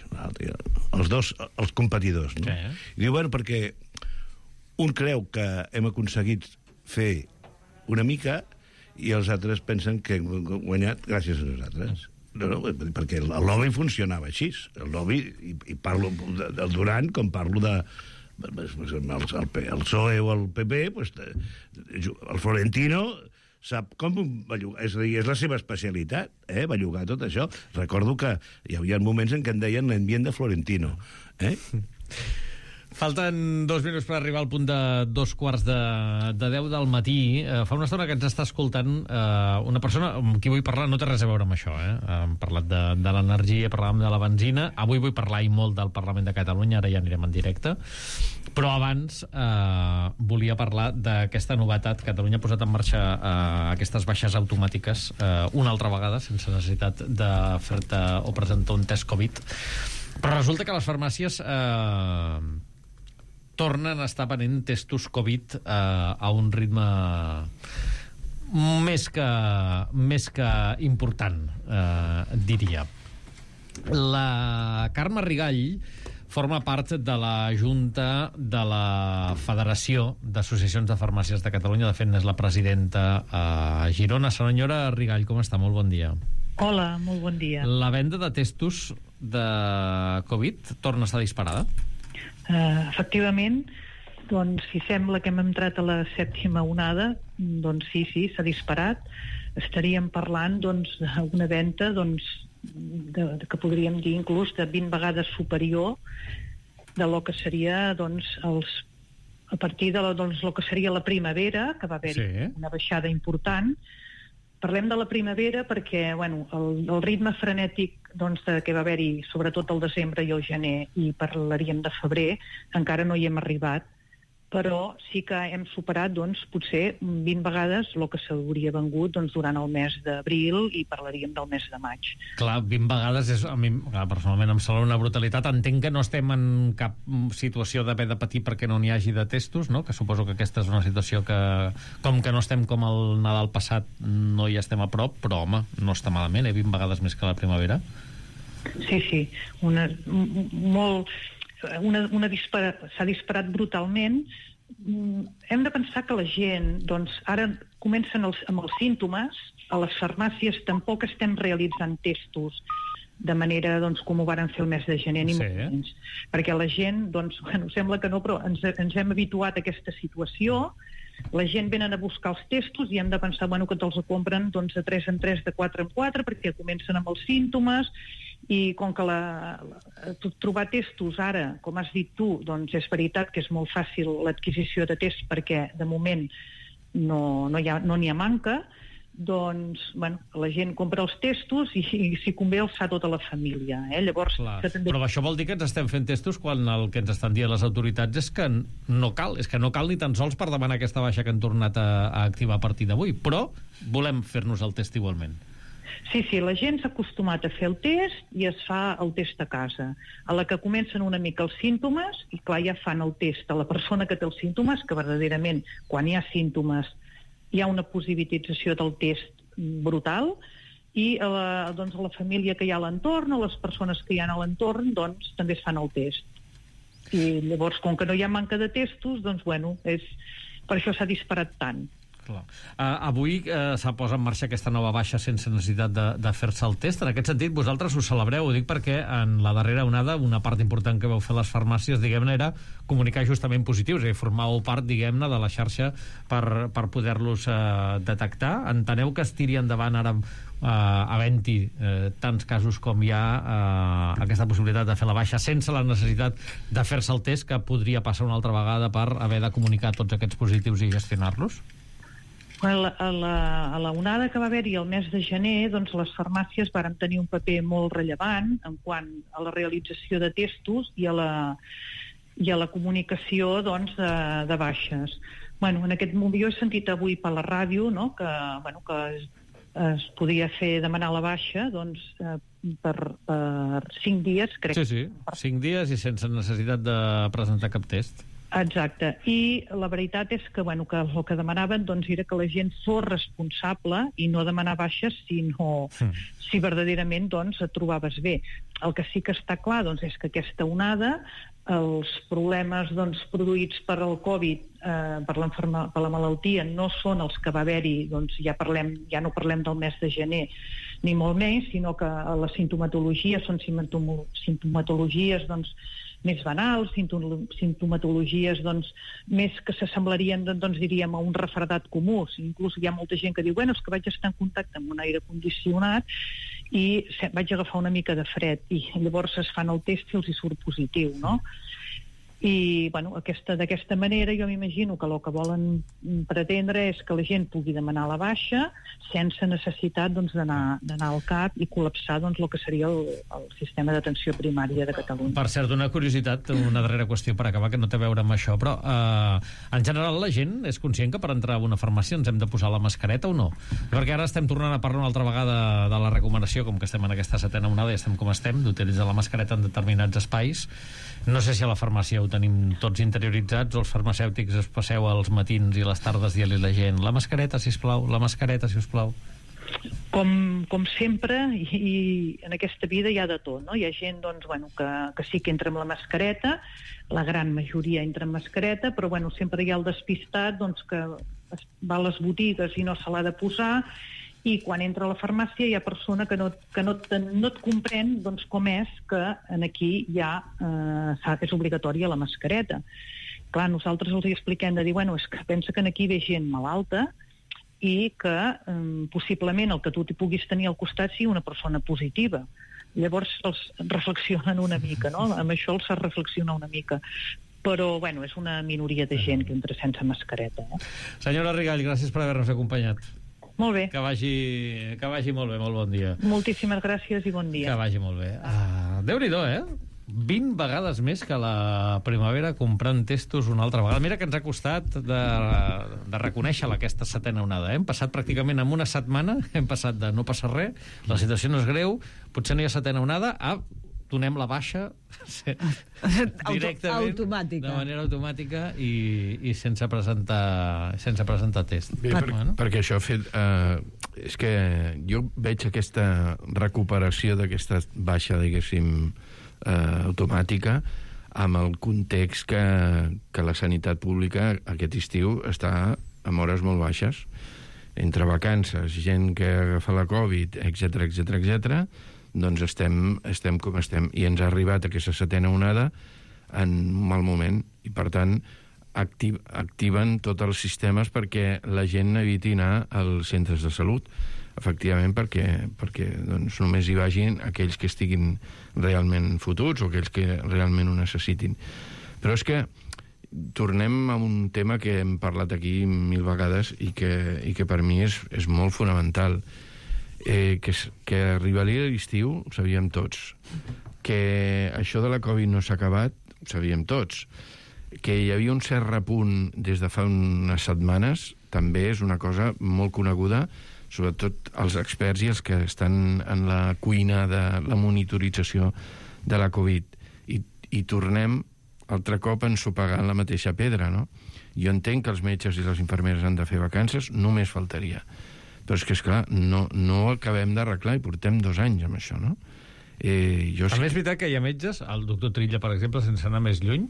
els dos, els competidors, no? Sí. I diu, bueno, perquè un creu que hem aconseguit fer una mica i els altres pensen que hem guanyat gràcies a nosaltres. No, no, perquè el lobby funcionava així. El lobby, i, i parlo del Duran com parlo de el, el, el P S O E o el P P, pues, el Florentino sap com va llogar, és a dir, és la seva especialitat, eh, va llogar tot això. Recordo que hi havia moments en què en deien l'ambient de Florentino, eh? Falten dos minuts per arribar al punt de dos quarts de, de deu del matí. Eh, fa una estona que ens està escoltant eh, una persona amb qui vull parlar, no té res a veure amb això, eh? Hem parlat de, de l'energia, parlàvem de la benzina, avui vull parlar i molt del Parlament de Catalunya, ara ja anirem en directe, però abans eh, volia parlar d'aquesta novetat. Catalunya ha posat en marxa eh, aquestes baixes automàtiques eh, una altra vegada, sense necessitat de fer-te o presentar un test Covid, però resulta que les farmàcies eh, tornen a estar venent testos Covid eh, a un ritme més que, més que important, eh, diria. La Carme Rigall forma part de la Junta de la Federació d'Associacions de Farmàcies de Catalunya. De fet, és la presidenta a Girona. Senyora Rigall, com està? Molt bon dia. Hola, molt bon dia. La venda de testos de Covid torna a estar disparada? Uh, efectivament, doncs si sembla que hem entrat a la sèptima onada, doncs sí, sí, s'ha disparat. Estaríem parlant doncs d'una venda doncs, de, de, que podríem dir inclús de vint vegades superior de lo que seria doncs, els, a partir de la, doncs, lo que seria la primavera, que va haver-hi sí. una baixada important. Parlem de la primavera perquè bueno, el, el ritme frenètic doncs, de, que va haver-hi sobretot el desembre i el gener, i parlaríem de febrer, encara no hi hem arribat, però sí que hem superat doncs, potser vint vegades el que s'hauria vengut doncs, durant el mes d'abril, i parlaríem del mes de maig. Clar, vint vegades és, a mi clar, personalment em sembla una brutalitat. Entenc que no estem en cap situació d'haver de patir perquè no n'hi hagi de testos, no? Que suposo que aquesta és una situació que, com que no estem com el Nadal passat, no hi estem a prop, però home, no està malament, eh? vint vegades més que la primavera. Sí, sí, una, molt, una, una dispara, s'ha disparat brutalment. Hem de pensar que la gent, doncs, ara comencen els, amb els símptomes, a les farmàcies tampoc estem realitzant testos de manera, doncs, com ho varen fer el mes de gener, ni Sí. molt menys. Perquè la gent, doncs, bueno, sembla que no, però ens, ens hem habituat a aquesta situació. La gent venen a buscar els testos i hem de pensar, bueno, que te'ls compren, doncs, de tres en tres, de quatre en quatre, perquè comencen amb els símptomes, i com que la, la, trobar testos ara, com has dit tu, doncs és veritat que és molt fàcil l'adquisició de tests perquè de moment no n'hi no ha, no ha manca, doncs, bueno, la gent compra els testos i, i si convé els fa tota la família. Eh? Llavors, Clar, també... però això vol dir que ens estem fent testos quan el que ens estan dient les autoritats és que no cal, és que no cal ni tan sols per demanar aquesta baixa que han tornat a, a activar a partir d'avui, però volem fer-nos el test igualment. Sí, sí, la gent s'ha acostumat a fer el test i es fa el test a casa. A la que comencen una mica els símptomes, i clar, ja fan el test a la persona que té els símptomes, que verdaderament, quan hi ha símptomes, hi ha una positivització del test brutal, i a la, doncs, a la família que hi ha a l'entorn, a les persones que hi ha a l'entorn, doncs també es fan el test. I llavors, com que no hi ha manca de testos, doncs, bueno, és, per això s'ha disparat tant. Clar. Uh, avui uh, s'ha posat en marxa aquesta nova baixa sense necessitat de, de fer-se el test. En aquest sentit, vosaltres ho celebreu, ho dic perquè en la darrera onada una part important que vau fer les farmàcies, diguem-ne, era comunicar justament positius, és a dir, formàveu part, diguem-ne, de la xarxa per, per poder-los uh, detectar. Enteneu que es tiri endavant ara uh, havent-hi uh, tants casos com hi ha uh, aquesta possibilitat de fer la baixa sense la necessitat de fer-se el test, que podria passar una altra vegada per haver de comunicar tots aquests positius i gestionar-los? A la, a, la, a la onada que va haver-hi el mes de gener, doncs les farmàcies varen tenir un paper molt rellevant en quant a la realització de testos i a la, i a la comunicació, doncs, de, de baixes. Bueno, en aquest moment jo he sentit avui per la ràdio, no?, que, bueno, que es, es podia fer demanar la baixa, doncs, eh, per, per cinc dies, crec. Sí, sí, cinc dies i sense necessitat de presentar cap test. Exacte, i la veritat és que, bueno, que el que demanaven, doncs, era que la gent fos responsable i no demanar baixes sinó mm. si verdaderament, doncs, et trobaves bé. El que sí que està clar, doncs, és que aquesta onada, els problemes, doncs, produïts per el Covid, eh, per, per la malaltia, no són els que va haver-hi, doncs, ja parlem, ja no parlem del mes de gener, ni molt menys, sinó que la simptomatologia són simptomatologies, doncs, més banals, simptomatologies, doncs, més que s'assemblarien, doncs, diríem, a un refredat comú. Inclús hi ha molta gent que diu, bueno, és que vaig estar en contacte amb un aire condicionat i vaig agafar una mica de fred, i llavors es fan el test i els hi surt positiu, no? I, bueno, aquesta, d'aquesta manera jo m'imagino que el que volen pretendre és que la gent pugui demanar la baixa sense necessitat, doncs, d'anar d'anar al CAP i col·lapsar, doncs, el que seria el, el sistema d'atenció primària de Catalunya. Per cert, una curiositat, una darrera qüestió per acabar, que no té a veure amb això, però eh, en general la gent és conscient que per entrar a una farmàcia ens hem de posar la mascareta o no? Perquè ara estem tornant a parlar una altra vegada de la recomanació, com que estem en aquesta setena onada i estem com estem, d'utilitzar la mascareta en determinats espais. No sé si a la farmàcia ho tenim tots interioritzats o els farmacèutics es passeu als matins i les tardes dient-li a la gent la mascareta, sisplau, la mascareta, sisplau. Com, com sempre, i, i en aquesta vida hi ha de tot, no? Hi ha gent, doncs, bueno, que, que sí que entra amb la mascareta, la gran majoria entra amb mascareta, però, bueno, sempre hi ha el despistat, doncs, que va a les botigues i no se l'ha de posar, i quan entra a la farmàcia hi ha persona que no, que no, te, no et comprèn, doncs, com és que en aquí ja eh, és obligatòria la mascareta. Clar, nosaltres els hi expliquem de dir, bueno, és que pensa que aquí ve gent malalta i que eh, possiblement el que tu t'hi puguis tenir al costat sigui una persona positiva. Llavors els reflexionen una mica, no? Amb això els reflexiona una mica. Però, bueno, és una minoria de gent que entra sense mascareta. Eh? Senyora Rigall, gràcies per haver-nos acompanyat. Molt bé. Que vagi, que vagi molt bé, molt bon dia. Moltíssimes gràcies i bon dia. Que vagi molt bé. Uh, Déu-n'hi-do, eh? vint vegades més que la primavera comprant testos una altra vegada. Mira que ens ha costat de, de reconèixer-la, aquesta setena onada. Eh? Hem passat pràcticament en una setmana, hem passat de no passar res, la situació no és greu, potser no hi ha setena onada, a donem la baixa directament, automàtica. de manera automàtica i, i sense presentar sense presentar test. Bé, per, bueno. Perquè això ha fet... Eh, és que jo veig aquesta recuperació d'aquesta baixa, diguéssim, eh, automàtica, amb el context que, que la sanitat pública aquest estiu està amb hores molt baixes. Entre vacances, gent que agafa la Covid, etcètera, etcètera, etcètera, doncs estem, estem com estem. I ens ha arribat aquesta setena onada en un mal moment. I, per tant, activ, activen tots els sistemes perquè la gent eviti anar als centres de salut. Efectivament, perquè, perquè doncs, només hi vagin aquells que estiguin realment fotuts o aquells que realment ho necessitin. Però és que tornem a un tema que hem parlat aquí mil vegades i que, i que per mi és, és molt fonamental. Eh, que, que arribaria l'estiu ho sabíem tots. Que això de la Covid no s'ha acabat ho sabíem tots. Que hi havia un cert repunt des de fa unes setmanes també és una cosa molt coneguda, sobretot els experts i els que estan en la cuina de la monitorització de la Covid. I, i tornem altre cop a ensopegar la mateixa pedra, no? Jo entenc que els metges i les infermeres han de fer vacances, només faltaria. Però és que, esclar, no, no ho acabem d'arreglar i portem dos anys amb això, no? Eh, jo També és veritat que hi ha metges, el doctor Trilla, per exemple, sense anar més lluny,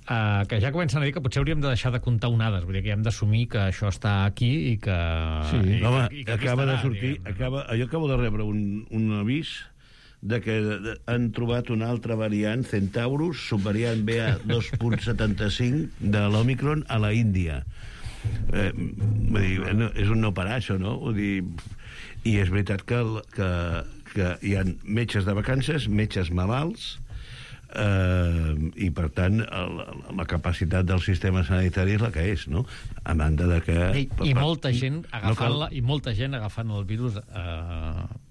eh, que ja comencen a dir que potser hauríem de deixar de comptar onades, vull dir que hem d'assumir que això està aquí i que... Sí, i, home, i que acaba estarà, de sortir... Diguem, Acaba, jo acabo de rebre un, un avís de que han trobat una altra variant, Centaurus, subvariant B A dos punt setanta-cinc de l'Omicron a la Índia. Eh, vull dir, no, és un no parar, això, no? Vull dir, i és veritat que, que, que hi ha metges de vacances, metges malalts, eh, i, per tant, el, la capacitat del sistema sanitari és la que és, no? A banda de que... I, i molta gent agafant-la, i molta gent agafant el virus... Eh,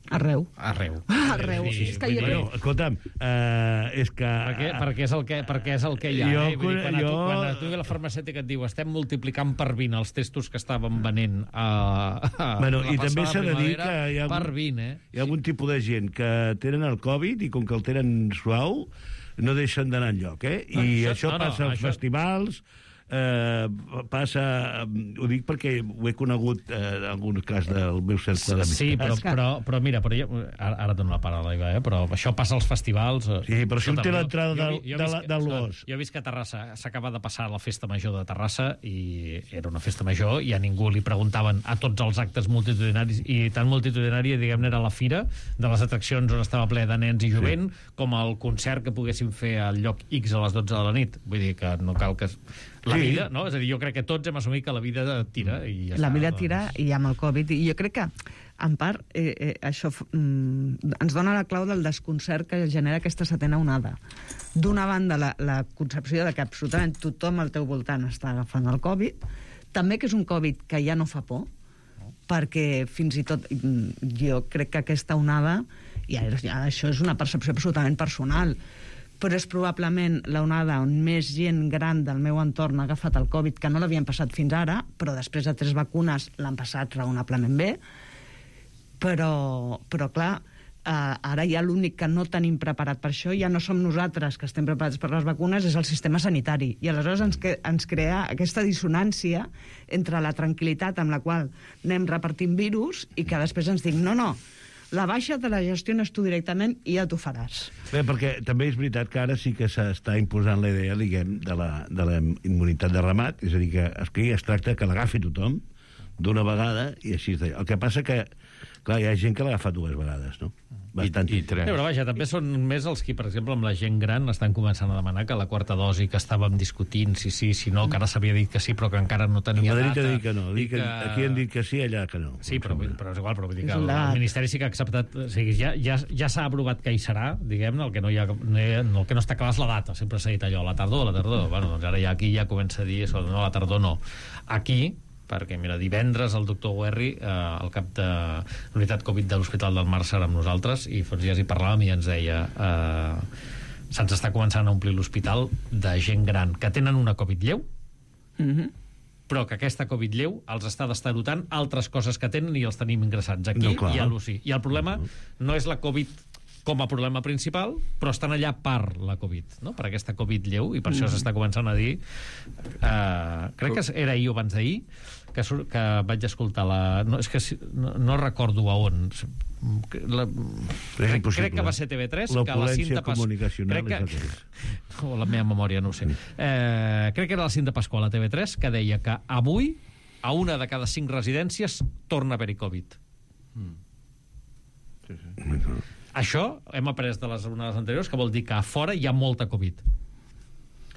Arreu. Arreu. Arreu. Sí, És que jo... Bueno, escolta'm, eh, és que... Perquè, perquè, és el que, perquè és el que hi ha. Jo, eh? Vull dir, quan, jo... a tu, quan a tu ve la farmacèutica et diu estem multiplicant per vint els testos que estàvem venent a, a bueno, la i també s'ha de dir que hi ha, per algun, vint, eh? hi ha algun tipus de gent que tenen el Covid i com que el tenen suau no deixen d'anar enlloc, eh? I això, això, això no, no, passa als això... festivals, eh, passa... Ho dic perquè ho he conegut eh, en algun cas del meu cercle d'amistats. Sí, però, però, però mira, però jo, ara, ara et dono la paraula, Iva, eh? Però això passa als festivals... Sí, però si un té l'entrada jo, del, jo, jo de visc, la, del Bosc. Jo he vist que a Terrassa s'acaba de passar la festa major de Terrassa i era una festa major i a ningú li preguntaven a tots els actes multitudinaris i tan multitudinària, diguem-ne, era la fira de les atraccions on estava ple de nens i jovent, sí, com el concert que poguéssim fer al lloc X a les dotze de la nit. Vull dir que no cal que... La sí. vida, no? És a dir, jo crec que tots hem assumit que la vida tira i ja La està, vida doncs... tira i amb el Covid. I jo crec que, en part, eh, eh, això mm, ens dona la clau del desconcert que genera aquesta setena onada. D'una banda, la, la concepció de que absolutament tothom al teu voltant està agafant el Covid, també que és un Covid que ja no fa por, perquè fins i tot jo crec que aquesta onada, i ara, ja, això és una percepció absolutament personal, però és probablement l'onada on més gent gran del meu entorn ha agafat el Covid, que no l'havien passat fins ara, però després de tres vacunes l'han passat raonablement bé. Però, però clar, eh, ara ja l'únic que no tenim preparat per això, ja no som nosaltres que estem preparats per les vacunes, és el sistema sanitari. I aleshores ens, que, ens crea aquesta dissonància entre la tranquil·litat amb la qual anem repartint virus i que després ens dic, no, no, la baixa te la gestiones tu directament i ja t'ho faràs. Bé, perquè també és veritat que ara sí que s'està imposant la idea, diguem, de la, de la immunitat de ramat, és a dir, que aquí es tracta que l'agafi tothom d'una vegada i així. El que passa que, clar, hi ha gent que l'ha agafat dues vegades, no? Bastant. I, i tres. Sí, però vaja, també són més els que, per exemple, amb la gent gran estan començant a demanar que la quarta dosi que estàvem discutint, si sí, si no, que ara s'havia dit que sí, però que encara no tenia data. data. Madrid ha dit que no. Dit que... que... Aquí han dit que sí, allà que no. Sí, però, però és igual, però vull dir que És el, la... el Ministeri sí que ha acceptat... O sigui, ja, ja, ja s'ha aprovat que hi serà, diguem-ne, el que no, hi ha, no, el que no està clar és la data. Sempre s'ha dit allò, la tardor, la tardor. Bueno, doncs ara ja aquí ja comença a dir, no, la tardor no. Aquí, perquè, mira, divendres el doctor Guerri, eh, el cap de l'unitat Covid de l'Hospital del Mar, serà amb nosaltres, i fa uns dies hi parlàvem i ens deia eh, se'ns està començant a omplir l'hospital de gent gran que tenen una Covid lleu, Mm-hmm. però que aquesta Covid lleu els està destarotant altres coses que tenen i els tenim ingressats aquí no, i a l'U C I. I el problema no és la Covid com a problema principal, però estan allà per la Covid, no? Per aquesta Covid lleu, i per això s'està començant a dir, eh, crec que era ahir o abans d'ahir, que que, que vaig escoltar la... No, és que no, no recordo a on. La, crec, crec que va ser T V tres. L'opulència comunicacional que, és el que és. O la meva memòria, no ho sé. Eh, crec que era la Cinta Pasqual a T V tres que deia que avui a una de cada cinc residències torna a haver-hi Covid. Mm. Sí, sí. Això hem après de les onades anteriors, que vol dir que a fora hi ha molta Covid.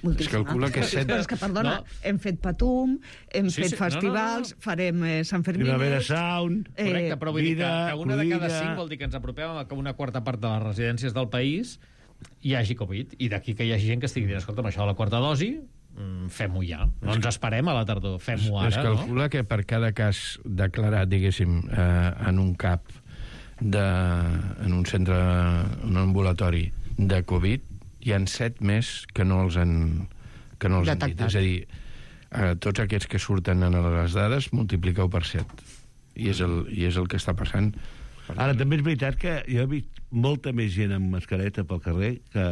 Es calcula que set... Però és que, perdona, no. hem fet Patum, hem sí, fet sí. festivals, no, no, no. farem eh, Sant Fermín... Primavera Sound... Eh, Correcte, però vull vida, dir que, que una de cada cinc vol dir que ens apropem a que una quarta part de les residències del país hi hagi Covid, i d'aquí que hi hagi gent que estigui dient, escolta'm, això de la quarta dosi, fem-ho ja. No ens esperem a la tardor, fem-ho ara. Es calcula no? que per cada cas declarat, diguéssim, eh, en un CAP, de, en un centre, un ambulatori de Covid, hi ha set més que no els han, que no els han dit. És a dir, eh, tots aquests que surten en les dades, multipliqueu per set. I és el, i és el que està passant. Ara, també és veritat que jo he vist molta més gent amb mascareta pel carrer que,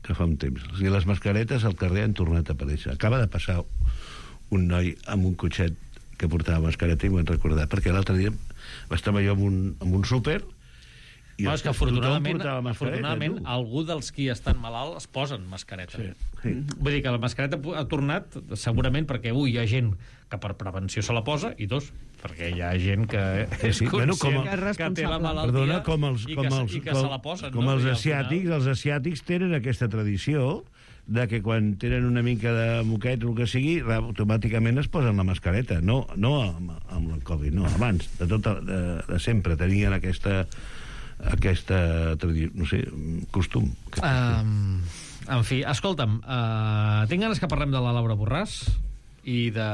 que fa un temps. O sigui, les mascaretes al carrer han tornat a aparèixer. Acaba de passar un noi amb un cotxet que portava mascareta i m'ho han recordat, perquè l'altre dia estava jo en un, en un súper i no, és que afortunadament, afortunadament algú dels qui estan malalts es posen mascareta. Sí, sí. Vull dir que la mascareta ha tornat segurament perquè, un, hi ha gent que per prevenció se la posa, i dos, perquè hi ha gent que sí, és sí. conscient Bueno, com a, que té la malaltia. Perdona, com els, i, com que, els, i que com, se la posen. Com no? els asiàtics, final... els asiàtics tenen aquesta tradició de que quan tenen una mica de moquet o el que sigui, automàticament es posen la mascareta. No, no amb, amb el Covid, no, abans, de, tot, de, de sempre tenien aquesta aquesta no sé, costum. Um, en fi, escolta'm, uh, tinc ganes que parlem de la Laura Borràs i de...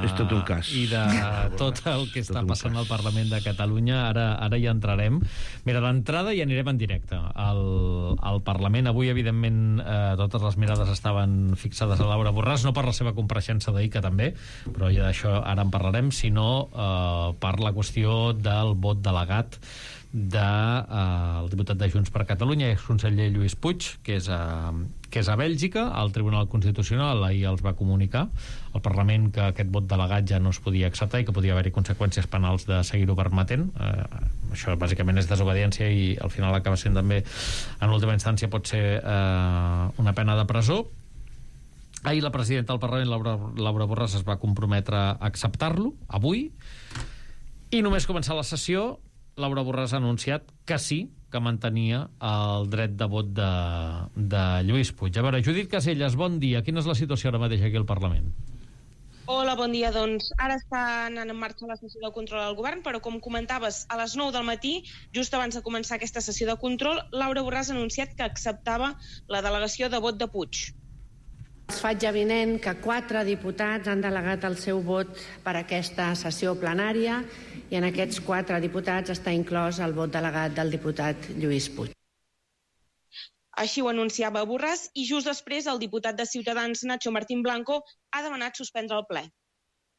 És tot un cas. I de tot el que està passant al Parlament de Catalunya. Ara, ara hi entrarem. Mira, d'entrada hi anirem en directe. Al, al Parlament, avui, evidentment, eh, totes les mirades estaven fixades a Laura Borràs, no per la seva compareixença d'ahir, que també, però ja d'això ara en parlarem, sinó eh, per la qüestió del vot delegat del de, eh, diputat de Junts per Catalunya, exconseller Lluís Puig, que és, a, que és a Bèlgica. El Tribunal Constitucional ahir els va comunicar al Parlament que aquest vot delegat ja no es podia acceptar i que podia haver-hi conseqüències penals de seguir-ho permetent. Eh, això bàsicament és desobediència i al final acaba sent també, en última instància, pot ser eh, una pena de presó. Ahir la presidenta del Parlament, Laura, Laura Borràs, es va comprometre a acceptar-lo avui, i només començar la sessió Laura Borràs ha anunciat que sí, que mantenia el dret de vot de, de Lluís Puig. A veure, Judit Caselles, bon dia. Quina és la situació ara mateix aquí al Parlament? Hola, bon dia. Doncs ara està anant en marxa la sessió de control al govern, però com comentaves, a les nou del matí, just abans de començar aquesta sessió de control, Laura Borràs ha anunciat que acceptava la delegació de vot de Puig. Es faig avinent que quatre diputats han delegat el seu vot per aquesta sessió plenària i en aquests quatre diputats està inclòs el vot delegat del diputat Lluís Puig. Així ho anunciava Borràs i just després el diputat de Ciutadans, Nacho Martín Blanco, ha demanat suspendre el ple.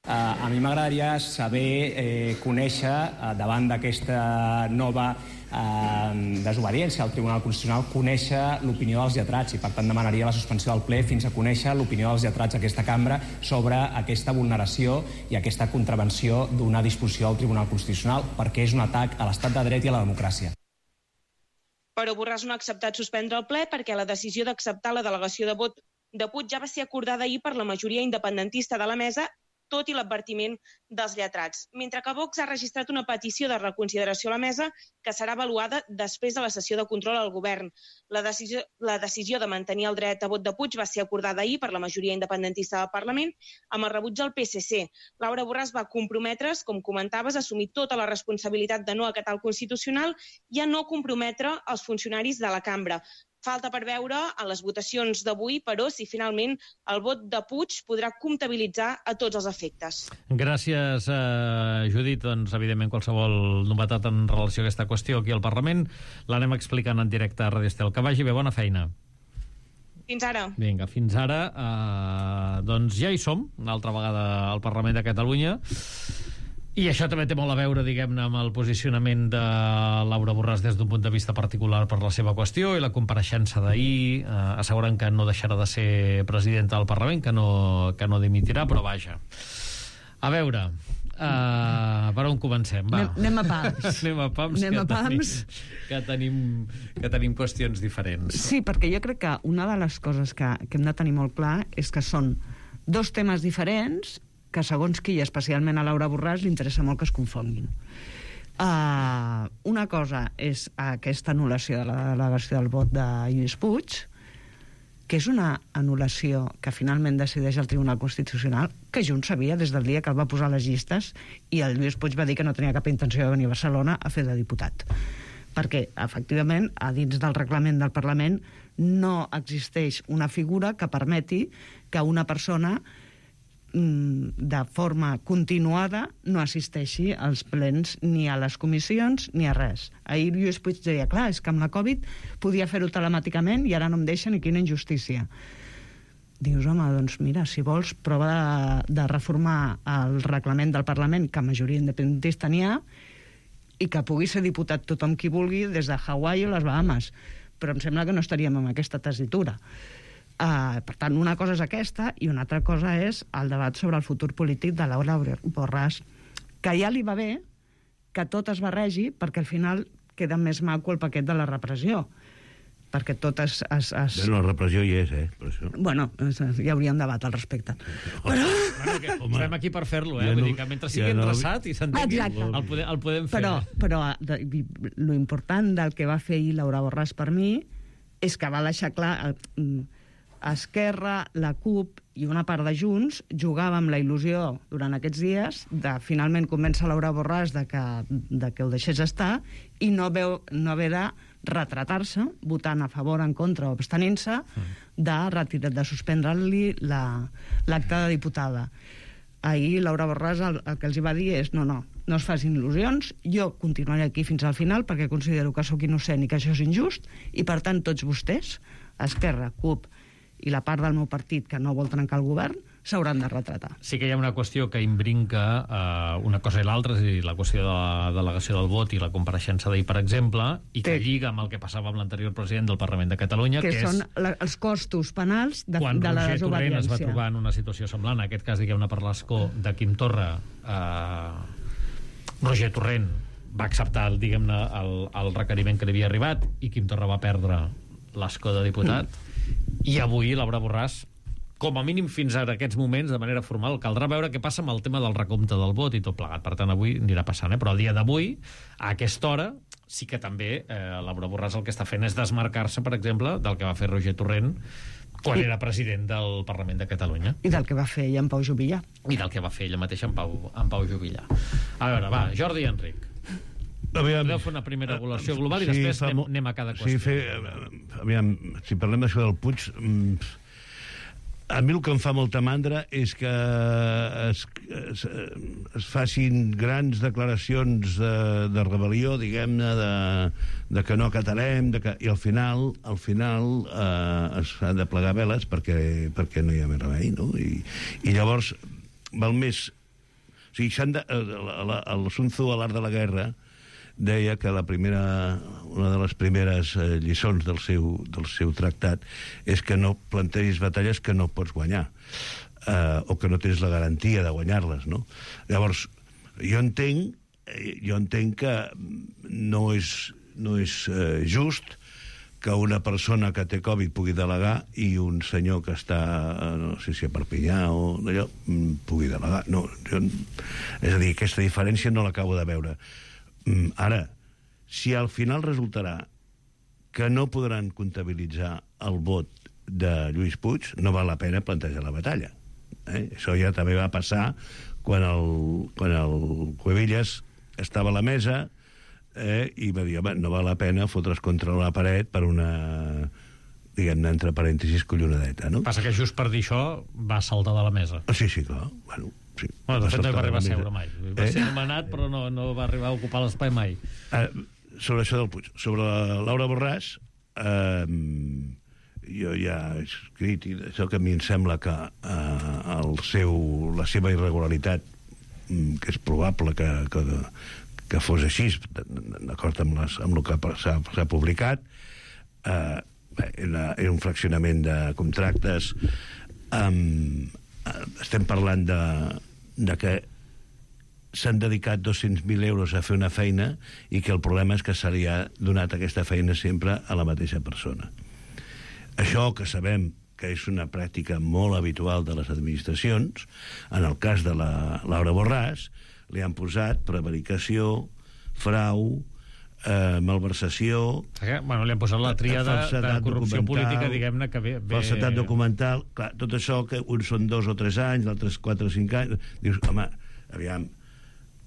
Uh, a mi m'agradaria saber, eh, conèixer, uh, davant d'aquesta nova uh, desobediència al Tribunal Constitucional, conèixer l'opinió dels lletrats i, per tant, demanaria la suspensió del ple fins a conèixer l'opinió dels lletrats d'aquesta cambra sobre aquesta vulneració i aquesta contravenció d'una disposició del Tribunal Constitucional, perquè és un atac a l'estat de dret i a la democràcia. Però Borràs no ha acceptat suspendre el ple perquè la decisió d'acceptar la delegació de vot de Puig ja va ser acordada ahir per la majoria independentista de la mesa, tot i l'advertiment dels lletrats. Mentre que Vox ha registrat una petició de reconsideració a la mesa que serà avaluada després de la sessió de control al govern. La decisió, la decisió de mantenir el dret a vot de Puig va ser acordada ahir per la majoria independentista del Parlament amb el rebuig del P S C. Laura Borràs va comprometre's, com comentaves, a assumir tota la responsabilitat de no acatar el Constitucional i a no comprometre els funcionaris de la cambra. Falta per veure en les votacions d'avui, però, si finalment el vot de Puig podrà comptabilitzar a tots els efectes. Gràcies, eh, Judit. Doncs, evidentment, qualsevol novetat en relació a aquesta qüestió aquí al Parlament l'anem explicant en directe a Ràdio Estel. Que vagi bé, bona feina. Fins ara. Vinga, fins ara. Eh, doncs ja hi som, una altra vegada al Parlament de Catalunya. I això també té molt a veure, diguem-ne, amb el posicionament de Laura Borràs des d'un punt de vista particular per la seva qüestió i la compareixença d'ahir, eh, assegurant que no deixarà de ser presidenta del Parlament, que no, que no dimitirà, però vaja. A veure, uh, per on comencem? Va. Anem, anem a pams. anem a pams, anem que, a pams. Tenim, que, tenim, que tenim qüestions diferents. Sí, perquè jo crec que una de les coses que, que hem de tenir molt clar és que són dos temes diferents que segons qui, especialment a Laura Borràs, li interessa molt que es confonguin. Uh, una cosa és aquesta anul·lació de la delegació del vot de Lluís Puig, que és una anul·lació que finalment decideix el Tribunal Constitucional, que Junts sabia des del dia que el va posar a les llistes i el Lluís Puig va dir que no tenia cap intenció de venir a Barcelona a fer de diputat. Perquè, efectivament, a dins del reglament del Parlament no existeix una figura que permeti que una persona de forma continuada no assisteixi als plens ni a les comissions ni a res. Ahir Lluís Puig deia, clar, és que amb la Covid podia fer-ho telemàticament i ara no em deixen i quina injustícia. Dius, home, doncs mira, si vols prova de, de reformar el reglament del Parlament, que majoria independentista n'hi ha, i que pugui ser diputat tothom qui vulgui des de Hawaii o les Bahamas. Però em sembla que no estaríem amb aquesta tessitura. Uh, per tant, una cosa és aquesta i una altra cosa és el debat sobre el futur polític de Laura Borràs, que ja li va bé que tot es barregi perquè al final queda més maco el paquet de la repressió, perquè tot es... es, es... Bueno, la repressió hi és, eh? Per això. Bueno, hi hauria un debat al respecte. Però... Bueno, que estem aquí per fer-lo, eh? Ja no, Vull dir que mentre sigui ja endreçat no... i s'entengui, el, podem, el podem fer. Però, però de, lo important del que va fer ahir Laura Borràs per mi és que va deixar clar... El, Esquerra, la CUP i una part de Junts jugàvem la il·lusió durant aquests dies de finalment convèncer Laura Borràs de que, de que ho deixés estar i no, veu, no haver de retratar-se votant a favor, en contra o abstenint-se de, retirar, de suspendre-li l'acte de diputada. Ahir Laura Borràs el, el que els hi va dir és no, no, no es facin il·lusions, jo continuaré aquí fins al final perquè considero que sóc innocent i que això és injust i per tant tots vostès, Esquerra, CUP i la part del meu partit que no vol trencar el govern, s'hauran de retratar. Sí que hi ha una qüestió que imbrinca eh, una cosa i l'altra, és a dir, la qüestió de la delegació del vot i la compareixença d'ahir, per exemple, i que, que lliga amb el que passava amb l'anterior president del Parlament de Catalunya, que, que són és... la, els costos penals de, quan de la desobediència. Quan Roger Torrent es va trobar en una situació semblant, en aquest cas, diguem-ne, per l'escó de Quim Torra, eh, Roger Torrent va acceptar, diguem-ne, el, el requeriment que li havia arribat i Quim Torra va perdre l'escó de diputat, mm. I avui Laura Borràs, com a mínim fins a aquests moments, de manera formal, caldrà veure què passa amb el tema del recompte del vot i tot plegat. Per tant, avui anirà passant, eh? Però el dia d'avui, a aquesta hora, sí que també eh, Laura Borràs el que està fent és desmarcar-se, per exemple, del que va fer Roger Torrent quan I... era president del Parlament de Catalunya. I del que va fer ella en Pau Juvillà. I del que va fer ella mateixa en Pau, en Pau Juvillà. A veure, va, Jordi i Enric. Aviam, podeu fer una primera regulació global i sí, després anem, anem a cada qüestió. Sí, fer, aviam, si parlem d'això del Puig, a mi el que em fa molta mandra és que es, es, es facin grans declaracions de, de rebel·lió, diguem-ne, de, de que no acatarem, de que, i al final, al final eh, es han de plegar veles perquè, perquè no hi ha més remei, no? I, i llavors, val més... O sigui, de, el, el, el Sun Tzu, a l'art de la guerra, deia que la primera, una de les primeres eh, lliçons del seu, del seu tractat és que no plantegis batalles que no pots guanyar eh, o que no tens la garantia de guanyar-les, no? Llavors, jo entenc jo entenc que no és, no és eh, just que una persona que té Covid pugui delegar i un senyor que està, no sé si a Perpinyà o d'allò, pugui delegar. No, jo, és a dir, aquesta diferència no l'acabo de veure. Ara, si al final resultarà que no podran comptabilitzar el vot de Lluís Puig, no val la pena plantejar la batalla. Eh? Això ja també va passar quan el, quan el Cuevillas estava a la mesa eh, i va dir, home, no val la pena fotre's contra la paret per una, diguem-ne, entre parèntesis, collonadeta, no? Passa que just per dir això va saltar de la mesa. Sí, sí, clar, bueno... Sí, bueno, de fet no hi va arribar a seure mai. Va eh? ser nomenat, però no, no va arribar a ocupar l'espai mai. Eh, sobre això del Puig. Sobre la Laura Borràs, eh, jo ja he escrit, i això que a mi em sembla que eh, el seu, la seva irregularitat, que és probable que, que, que fos així, d'acord amb, les, amb el que s'ha publicat, eh, era, era un fraccionament de contractes, eh, estem parlant de de que s'han dedicat dos-cents mil euros a fer una feina i que el problema és que se li ha donat aquesta feina sempre a la mateixa persona. Això que sabem que és una pràctica molt habitual de les administracions, en el cas de la Laura Borràs, li han posat prevaricació, frau, eh, malversació... Bueno, li han posat la tríada de corrupció política, diguem-ne, que ve... Falsetat documental, clar, tot això, que uns són dos o tres anys, l'altres quatre o cinc anys... Dius, home, aviam,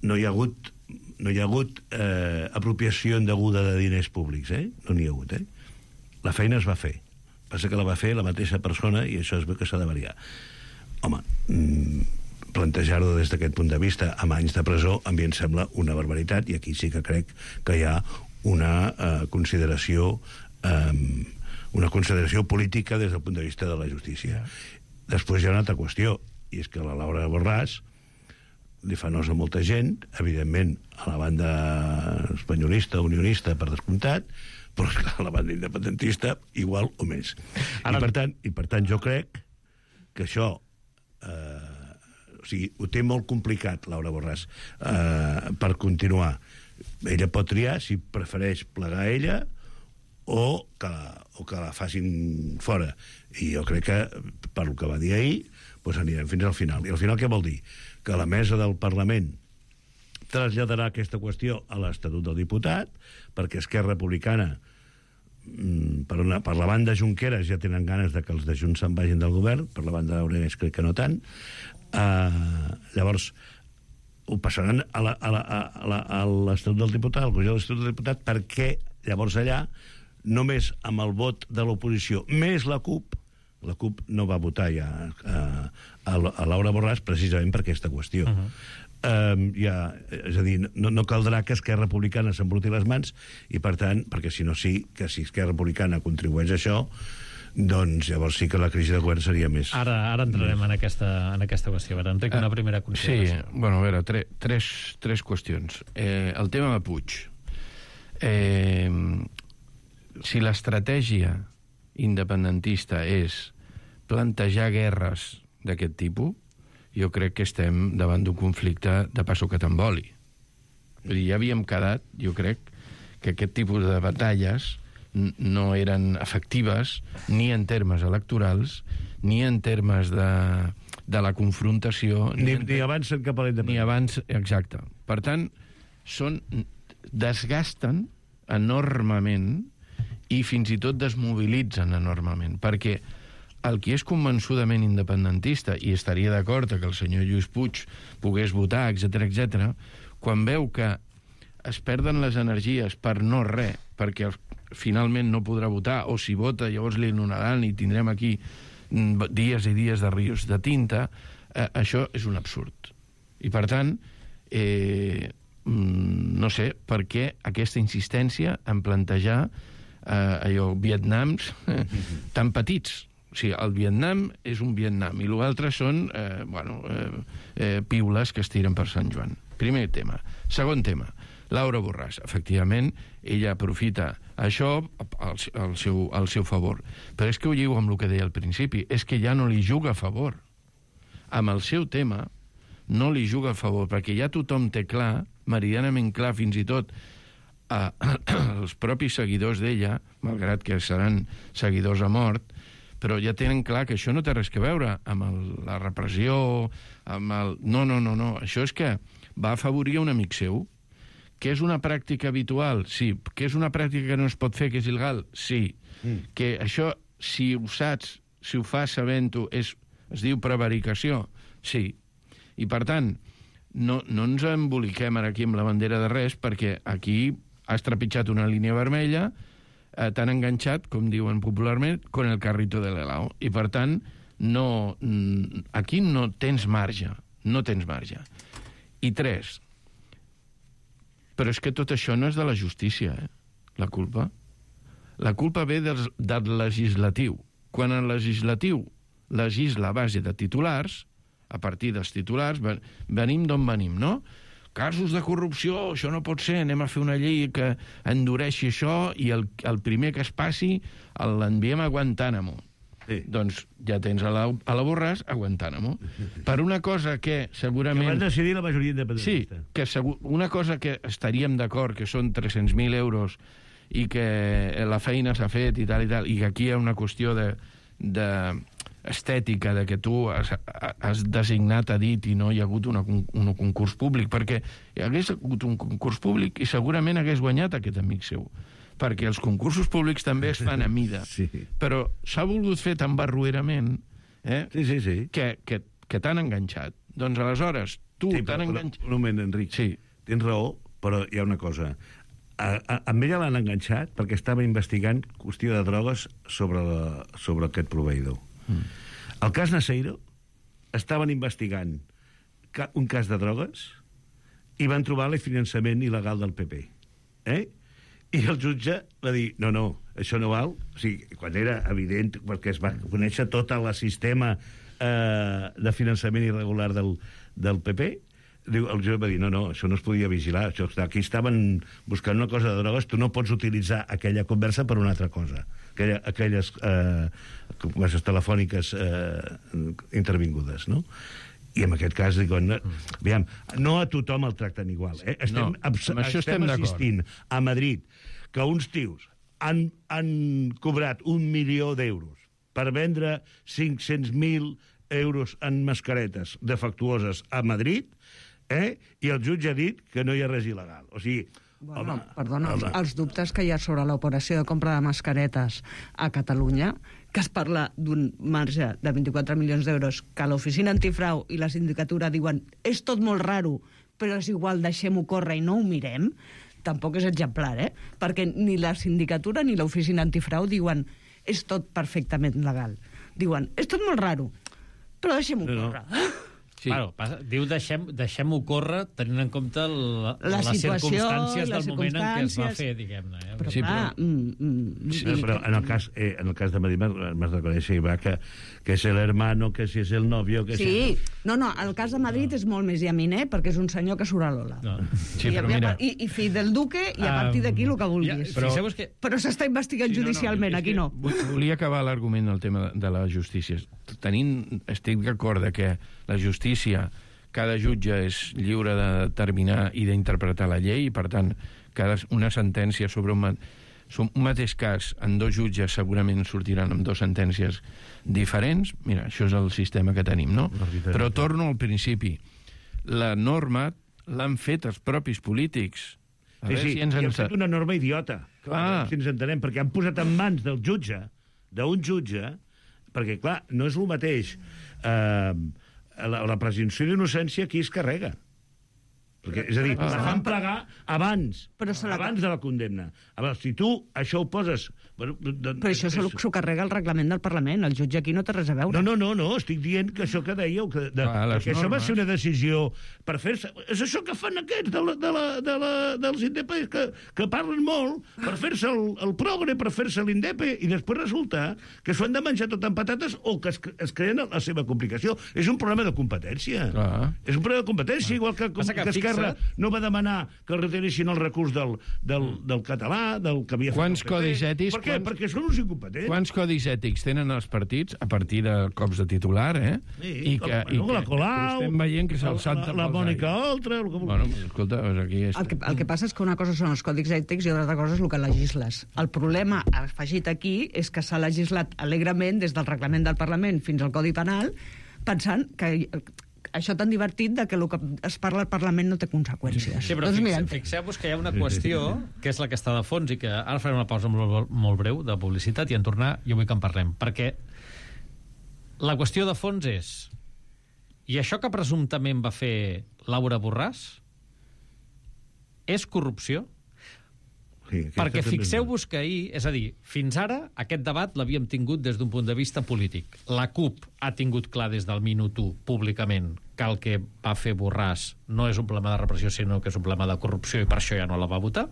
no hi ha hagut, no hi ha hagut eh, apropiació indeguda de diners públics, eh? No n'hi ha hagut, eh? La feina es va fer. Passa que la va fer la mateixa persona i això és que s'ha de variar. Home, mmm, plantejar-ho des d'aquest punt de vista amb anys de presó a mi em sembla una barbaritat i aquí sí que crec que hi ha una eh, consideració eh, una consideració política des del punt de vista de la justícia. Després hi ha una altra qüestió, i és que la Laura Borràs li fa nosa a molta gent, evidentment a la banda espanyolista, unionista, per descomptat, però esclar, a la banda independentista igual o més. Ara... I, per tant, I per tant jo crec que això eh, o sigui, ho té molt complicat Laura Borràs eh, per continuar. Ella pot triar si prefereix plegar a ella o que, la, o que la facin fora. I jo crec que, per el que va dir ahir, doncs anirem fins al final. I al final què vol dir? Que la mesa del Parlament traslladarà aquesta qüestió a l'Estatut del Diputat, perquè Esquerra Republicana, per, una, per la banda Junqueras ja tenen ganes de que els de Junts se'n vagin del govern, per la banda Aragonès crec que no tant. Uh, llavors, ho passaran a l'Estatut del Diputat, al Congrés de l'Estatut del Diputat, perquè llavors allà, només amb el vot de l'oposició, més la CUP, la CUP no va votar ja a, a, a Laura Borràs precisament per aquesta qüestió. Uh-huh. Um, ja, és a dir, no, no caldrà que Esquerra Republicana s'embruti les mans i per tant, perquè si no sí, que si Esquerra Republicana contribueix a això, doncs llavors sí que la crisi de govern seria més... Ara, ara entrarem més... en, aquesta, en aquesta qüestió. A veure, Enric, una primera consideració. Sí, bueno, a veure, tre, tres, tres qüestions. Eh, el tema de Puig. Eh, si l'estratègia independentista és plantejar guerres d'aquest tipus, jo crec que estem davant d'un conflicte de passo que t'emboli. Vull dir, ja havíem quedat, jo crec, que aquest tipus de batalles no eren efectives ni en termes electorals, ni en termes de, de la confrontació... Ni, ni, ni avancen cap a la independència. Ni abans, exacte. Per tant, són, desgasten enormement i fins i tot desmobilitzen enormement, perquè el qui és convençudament independentista i estaria d'acord que el senyor Lluís Puig pogués votar, etcètera, etcètera, quan veu que es perden les energies per no res, perquè finalment no podrà votar, o si vota llavors li anul·laran i tindrem aquí dies i dies de rius de tinta, eh, això és un absurd. I per tant, eh, no sé per què aquesta insistència en plantejar eh, allò, Vietnams eh, tan petits. O sigui, el Vietnam és un Vietnam i l'altre són eh, bueno, eh, eh, piules que es tiren per Sant Joan. Primer tema. Segon tema, Laura Borràs. Efectivament, ella aprofita això al, al, seu, al seu favor. Però és que ho lligo amb el que deia al principi, és que ja no li juga a favor. Amb el seu tema no li juga a favor, perquè ja tothom té clar, meridianament clar fins i tot, eh, els propis seguidors d'ella, malgrat que seran seguidors a mort, però ja tenen clar que això no té res a veure amb el, la repressió, amb el... No, no, no, no. Això és que va afavorir un amic seu, que és una pràctica habitual, sí. Que és una pràctica que no es pot fer, que és il·legal, sí. Mm. Que això, si ho saps, si ho fas sabent-ho, és, es diu prevaricació, sí. I per tant, no, no ens emboliquem ara aquí amb la bandera de res, perquè aquí has trepitjat una línia vermella, Eh, tan enganxat, com diuen popularment, con el carrito de l'helao. I, per tant, no, aquí no tens marge. No tens marge. I tres, però és que tot això no és de la justícia, eh? La culpa. La culpa ve del, del legislatiu. Quan el legislatiu legisla a base de titulars, a partir dels titulars, venim d'on venim, no? Casos de corrupció, això no pot ser, anem a fer una llei que endureixi això i el, el primer que es passi l'enviem a Guantánamo. Sí. Doncs ja tens a la, a la Borràs a Guantánamo. Per una cosa que segurament... Que van decidir la majoria independentista. Sí, que segur, una cosa que estaríem d'acord, que són tres-cents mil euros i que la feina s'ha fet i tal i tal, i que aquí hi ha una qüestió de, de estètica, de que tu has, has designat a dit i no hi ha hagut una, un concurs públic, perquè hi hagués hagut un concurs públic i segurament hagués guanyat aquest amic seu, perquè els concursos públics també es fan a mida. Sí. Però s'ha volgut fer tan barruerament eh, sí, sí, sí. que, que, que t'han enganxat. Doncs aleshores, tu sí, t'han però, enganxat... Un moment, Enric. Sí. Tens raó, però hi ha una cosa. A, a, amb ella l'han enganxat perquè estava investigant qüestió de drogues sobre, la, sobre aquest proveïdor. Mm. El cas Naseiro estaven investigant ca, un cas de drogues i van trobar el finançament il·legal del P P. Eh? I el jutge va dir, no, no, això no val. O sigui, quan era evident, perquè es va conèixer tot el sistema eh, de finançament irregular del, del P P, diu, el jutge va dir, no, no, això no es podia vigilar. Això, aquí estaven buscant una cosa de drogues, tu no pots utilitzar aquella conversa per una altra cosa. Aquella, aquelles eh, converses telefòniques eh, intervingudes, no? I en aquest cas, diuen, aviam, no a tothom el tracten igual. Eh? Estem, no, amb això estem, estem assistint a Madrid que uns tios han, han cobrat un milió d'euros per vendre cinc-cents mil euros en mascaretes defectuoses a Madrid, eh? I el jutge ha dit que no hi ha res il·legal. O sigui, bueno, home, perdona, home. Els dubtes que hi ha sobre l'operació de compra de mascaretes a Catalunya, que es parla d'un marge de vint-i-quatre milions d'euros, que l'oficina antifrau i la sindicatura diuen és tot molt raro, però és igual, deixem-ho córrer i no ho mirem, tampoc és exemplar, eh? Perquè ni la sindicatura ni l'oficina antifrau diuen és tot perfectament legal. Diuen, és tot molt raro, però deixem-ho no, córrer. No. Sí. Bueno, passa, diu deixem, deixem-ho córrer tenint en compte la, la les situació, circumstàncies les del moment en què es va circumstàncies. fer, diguem-ne. Eh? Però, sí, clar, però... mm, mm, Sí, però en el cas, eh, en el cas de Madrid m'has de conèixer, va, que, que és l'hermano, que si és el novio... Que sí, si... no, no, el cas de Madrid no. és molt més llaminer perquè és un senyor que surt a l'Ola. No. Sí, I, però mira... I, i fill del duque, i a partir d'aquí el que vulguis. Ja, però però que... però s'està investigant sí, judicialment, no, no, aquí no. Volia acabar l'argument del tema de la justícia. Tenint, estic d'acord que la justícia, cada jutge és lliure de determinar i d'interpretar la llei, i per tant, cada, una sentència sobre un, un mateix cas en dos jutges segurament sortiran amb dues sentències diferents. Mira, això és el sistema que tenim, no? Però torno al principi. La norma l'han fet els propis polítics. A sí, sí, si ens i en... han fet una norma idiota. Clar. Si ens entenem, perquè han posat en mans del jutge, d'un jutge, perquè, clar, no és el mateix... Eh, la, la presumpció d'innocència qui es carrega. Perquè, és a dir, la fan plegar abans, abans de la condemna. A veure, si tu això ho poses... Bueno, de, Però això s'ho carrega el reglament del Parlament. El jutge aquí no té res a veure. No, no, no, no, estic dient que això que dèieu, que, de, ah, que això va ser una decisió per fer-se... És això que fan aquests de la, de la, de la, dels independents, que, que parlen molt per fer-se el, el progre, per fer-se l'indepe, i després resulta que s'ho han de menjar tot amb patates o que es, es creen la seva complicació. És un problema de competència. Ah. És un problema de competència, igual que, que, que Esquerra no va demanar que retiressin el recurs del, del, del català, del que havia fet Quants codis ètics... Per què? Quants, perquè són uns incompetents. Quants codis ètics tenen els partits a partir de cops de titular, eh? Sí, I que, la, i no, la Colau, estem veient que se'l salta la, la Mònica Oltra... El que... Bueno, escolta, aquí és... El que, el que passa és que una cosa són els còdics ètics i una altra cosa és el que legisles. El problema afegit aquí és que s'ha legislat alegrement des del reglament del Parlament fins al Codi Penal, pensant que això tan divertit de que el que es parla al Parlament no té conseqüències. Sí, però doncs fixe, fixeu-vos que hi ha una qüestió que és la que està de fons i que ara farem una pausa molt, molt breu de publicitat i en tornar jo vull que en parlem, perquè la qüestió de fons és i això que presumptament va fer Laura Borràs és corrupció? Sí, perquè fixeu-vos que ahir, és a dir, fins ara aquest debat l'havíem tingut des d'un punt de vista polític. La CUP ha tingut clar des del minut u públicament que el que va fer Borràs no és un problema de repressió sinó que és un problema de corrupció i per això ja no la va votar.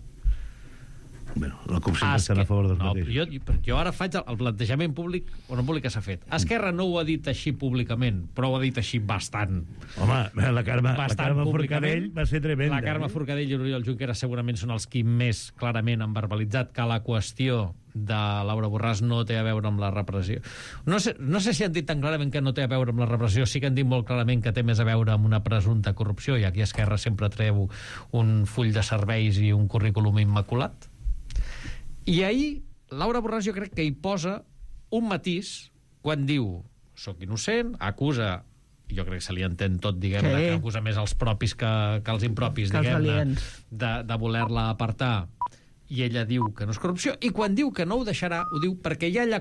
Bueno, la CUP sempre Esque... estan a favor dels no, mateixos. jo, jo ara faig el, el plantejament públic o no públic que s'ha fet. Esquerra no ho ha dit així públicament, però ho ha dit així bastant. Home, la Carme, la bastant Carme públicament. Forcadell va ser tremenda. La Carme eh? Forcadell i l'Oriol Junqueras segurament són els qui més clarament han verbalitzat que la qüestió de Laura Borràs no té a veure amb la repressió. No sé, no sé si han dit tan clarament que no té a veure amb la repressió, sí que han dit molt clarament que té més a veure amb una presumpta corrupció, i aquí Esquerra sempre treu un full de serveis i un currículum immaculat. I ahir, Laura Borràs jo crec que hi posa un matís quan diu soc innocent, acusa, jo crec que se li entén tot, diguem-ne, Sí. que acusa més els propis que, que els impropis, Que els diguem-ne, aliens. de, de voler-la apartar, i ella diu que no és corrupció, i quan diu que no ho deixarà, ho diu perquè hi ha allà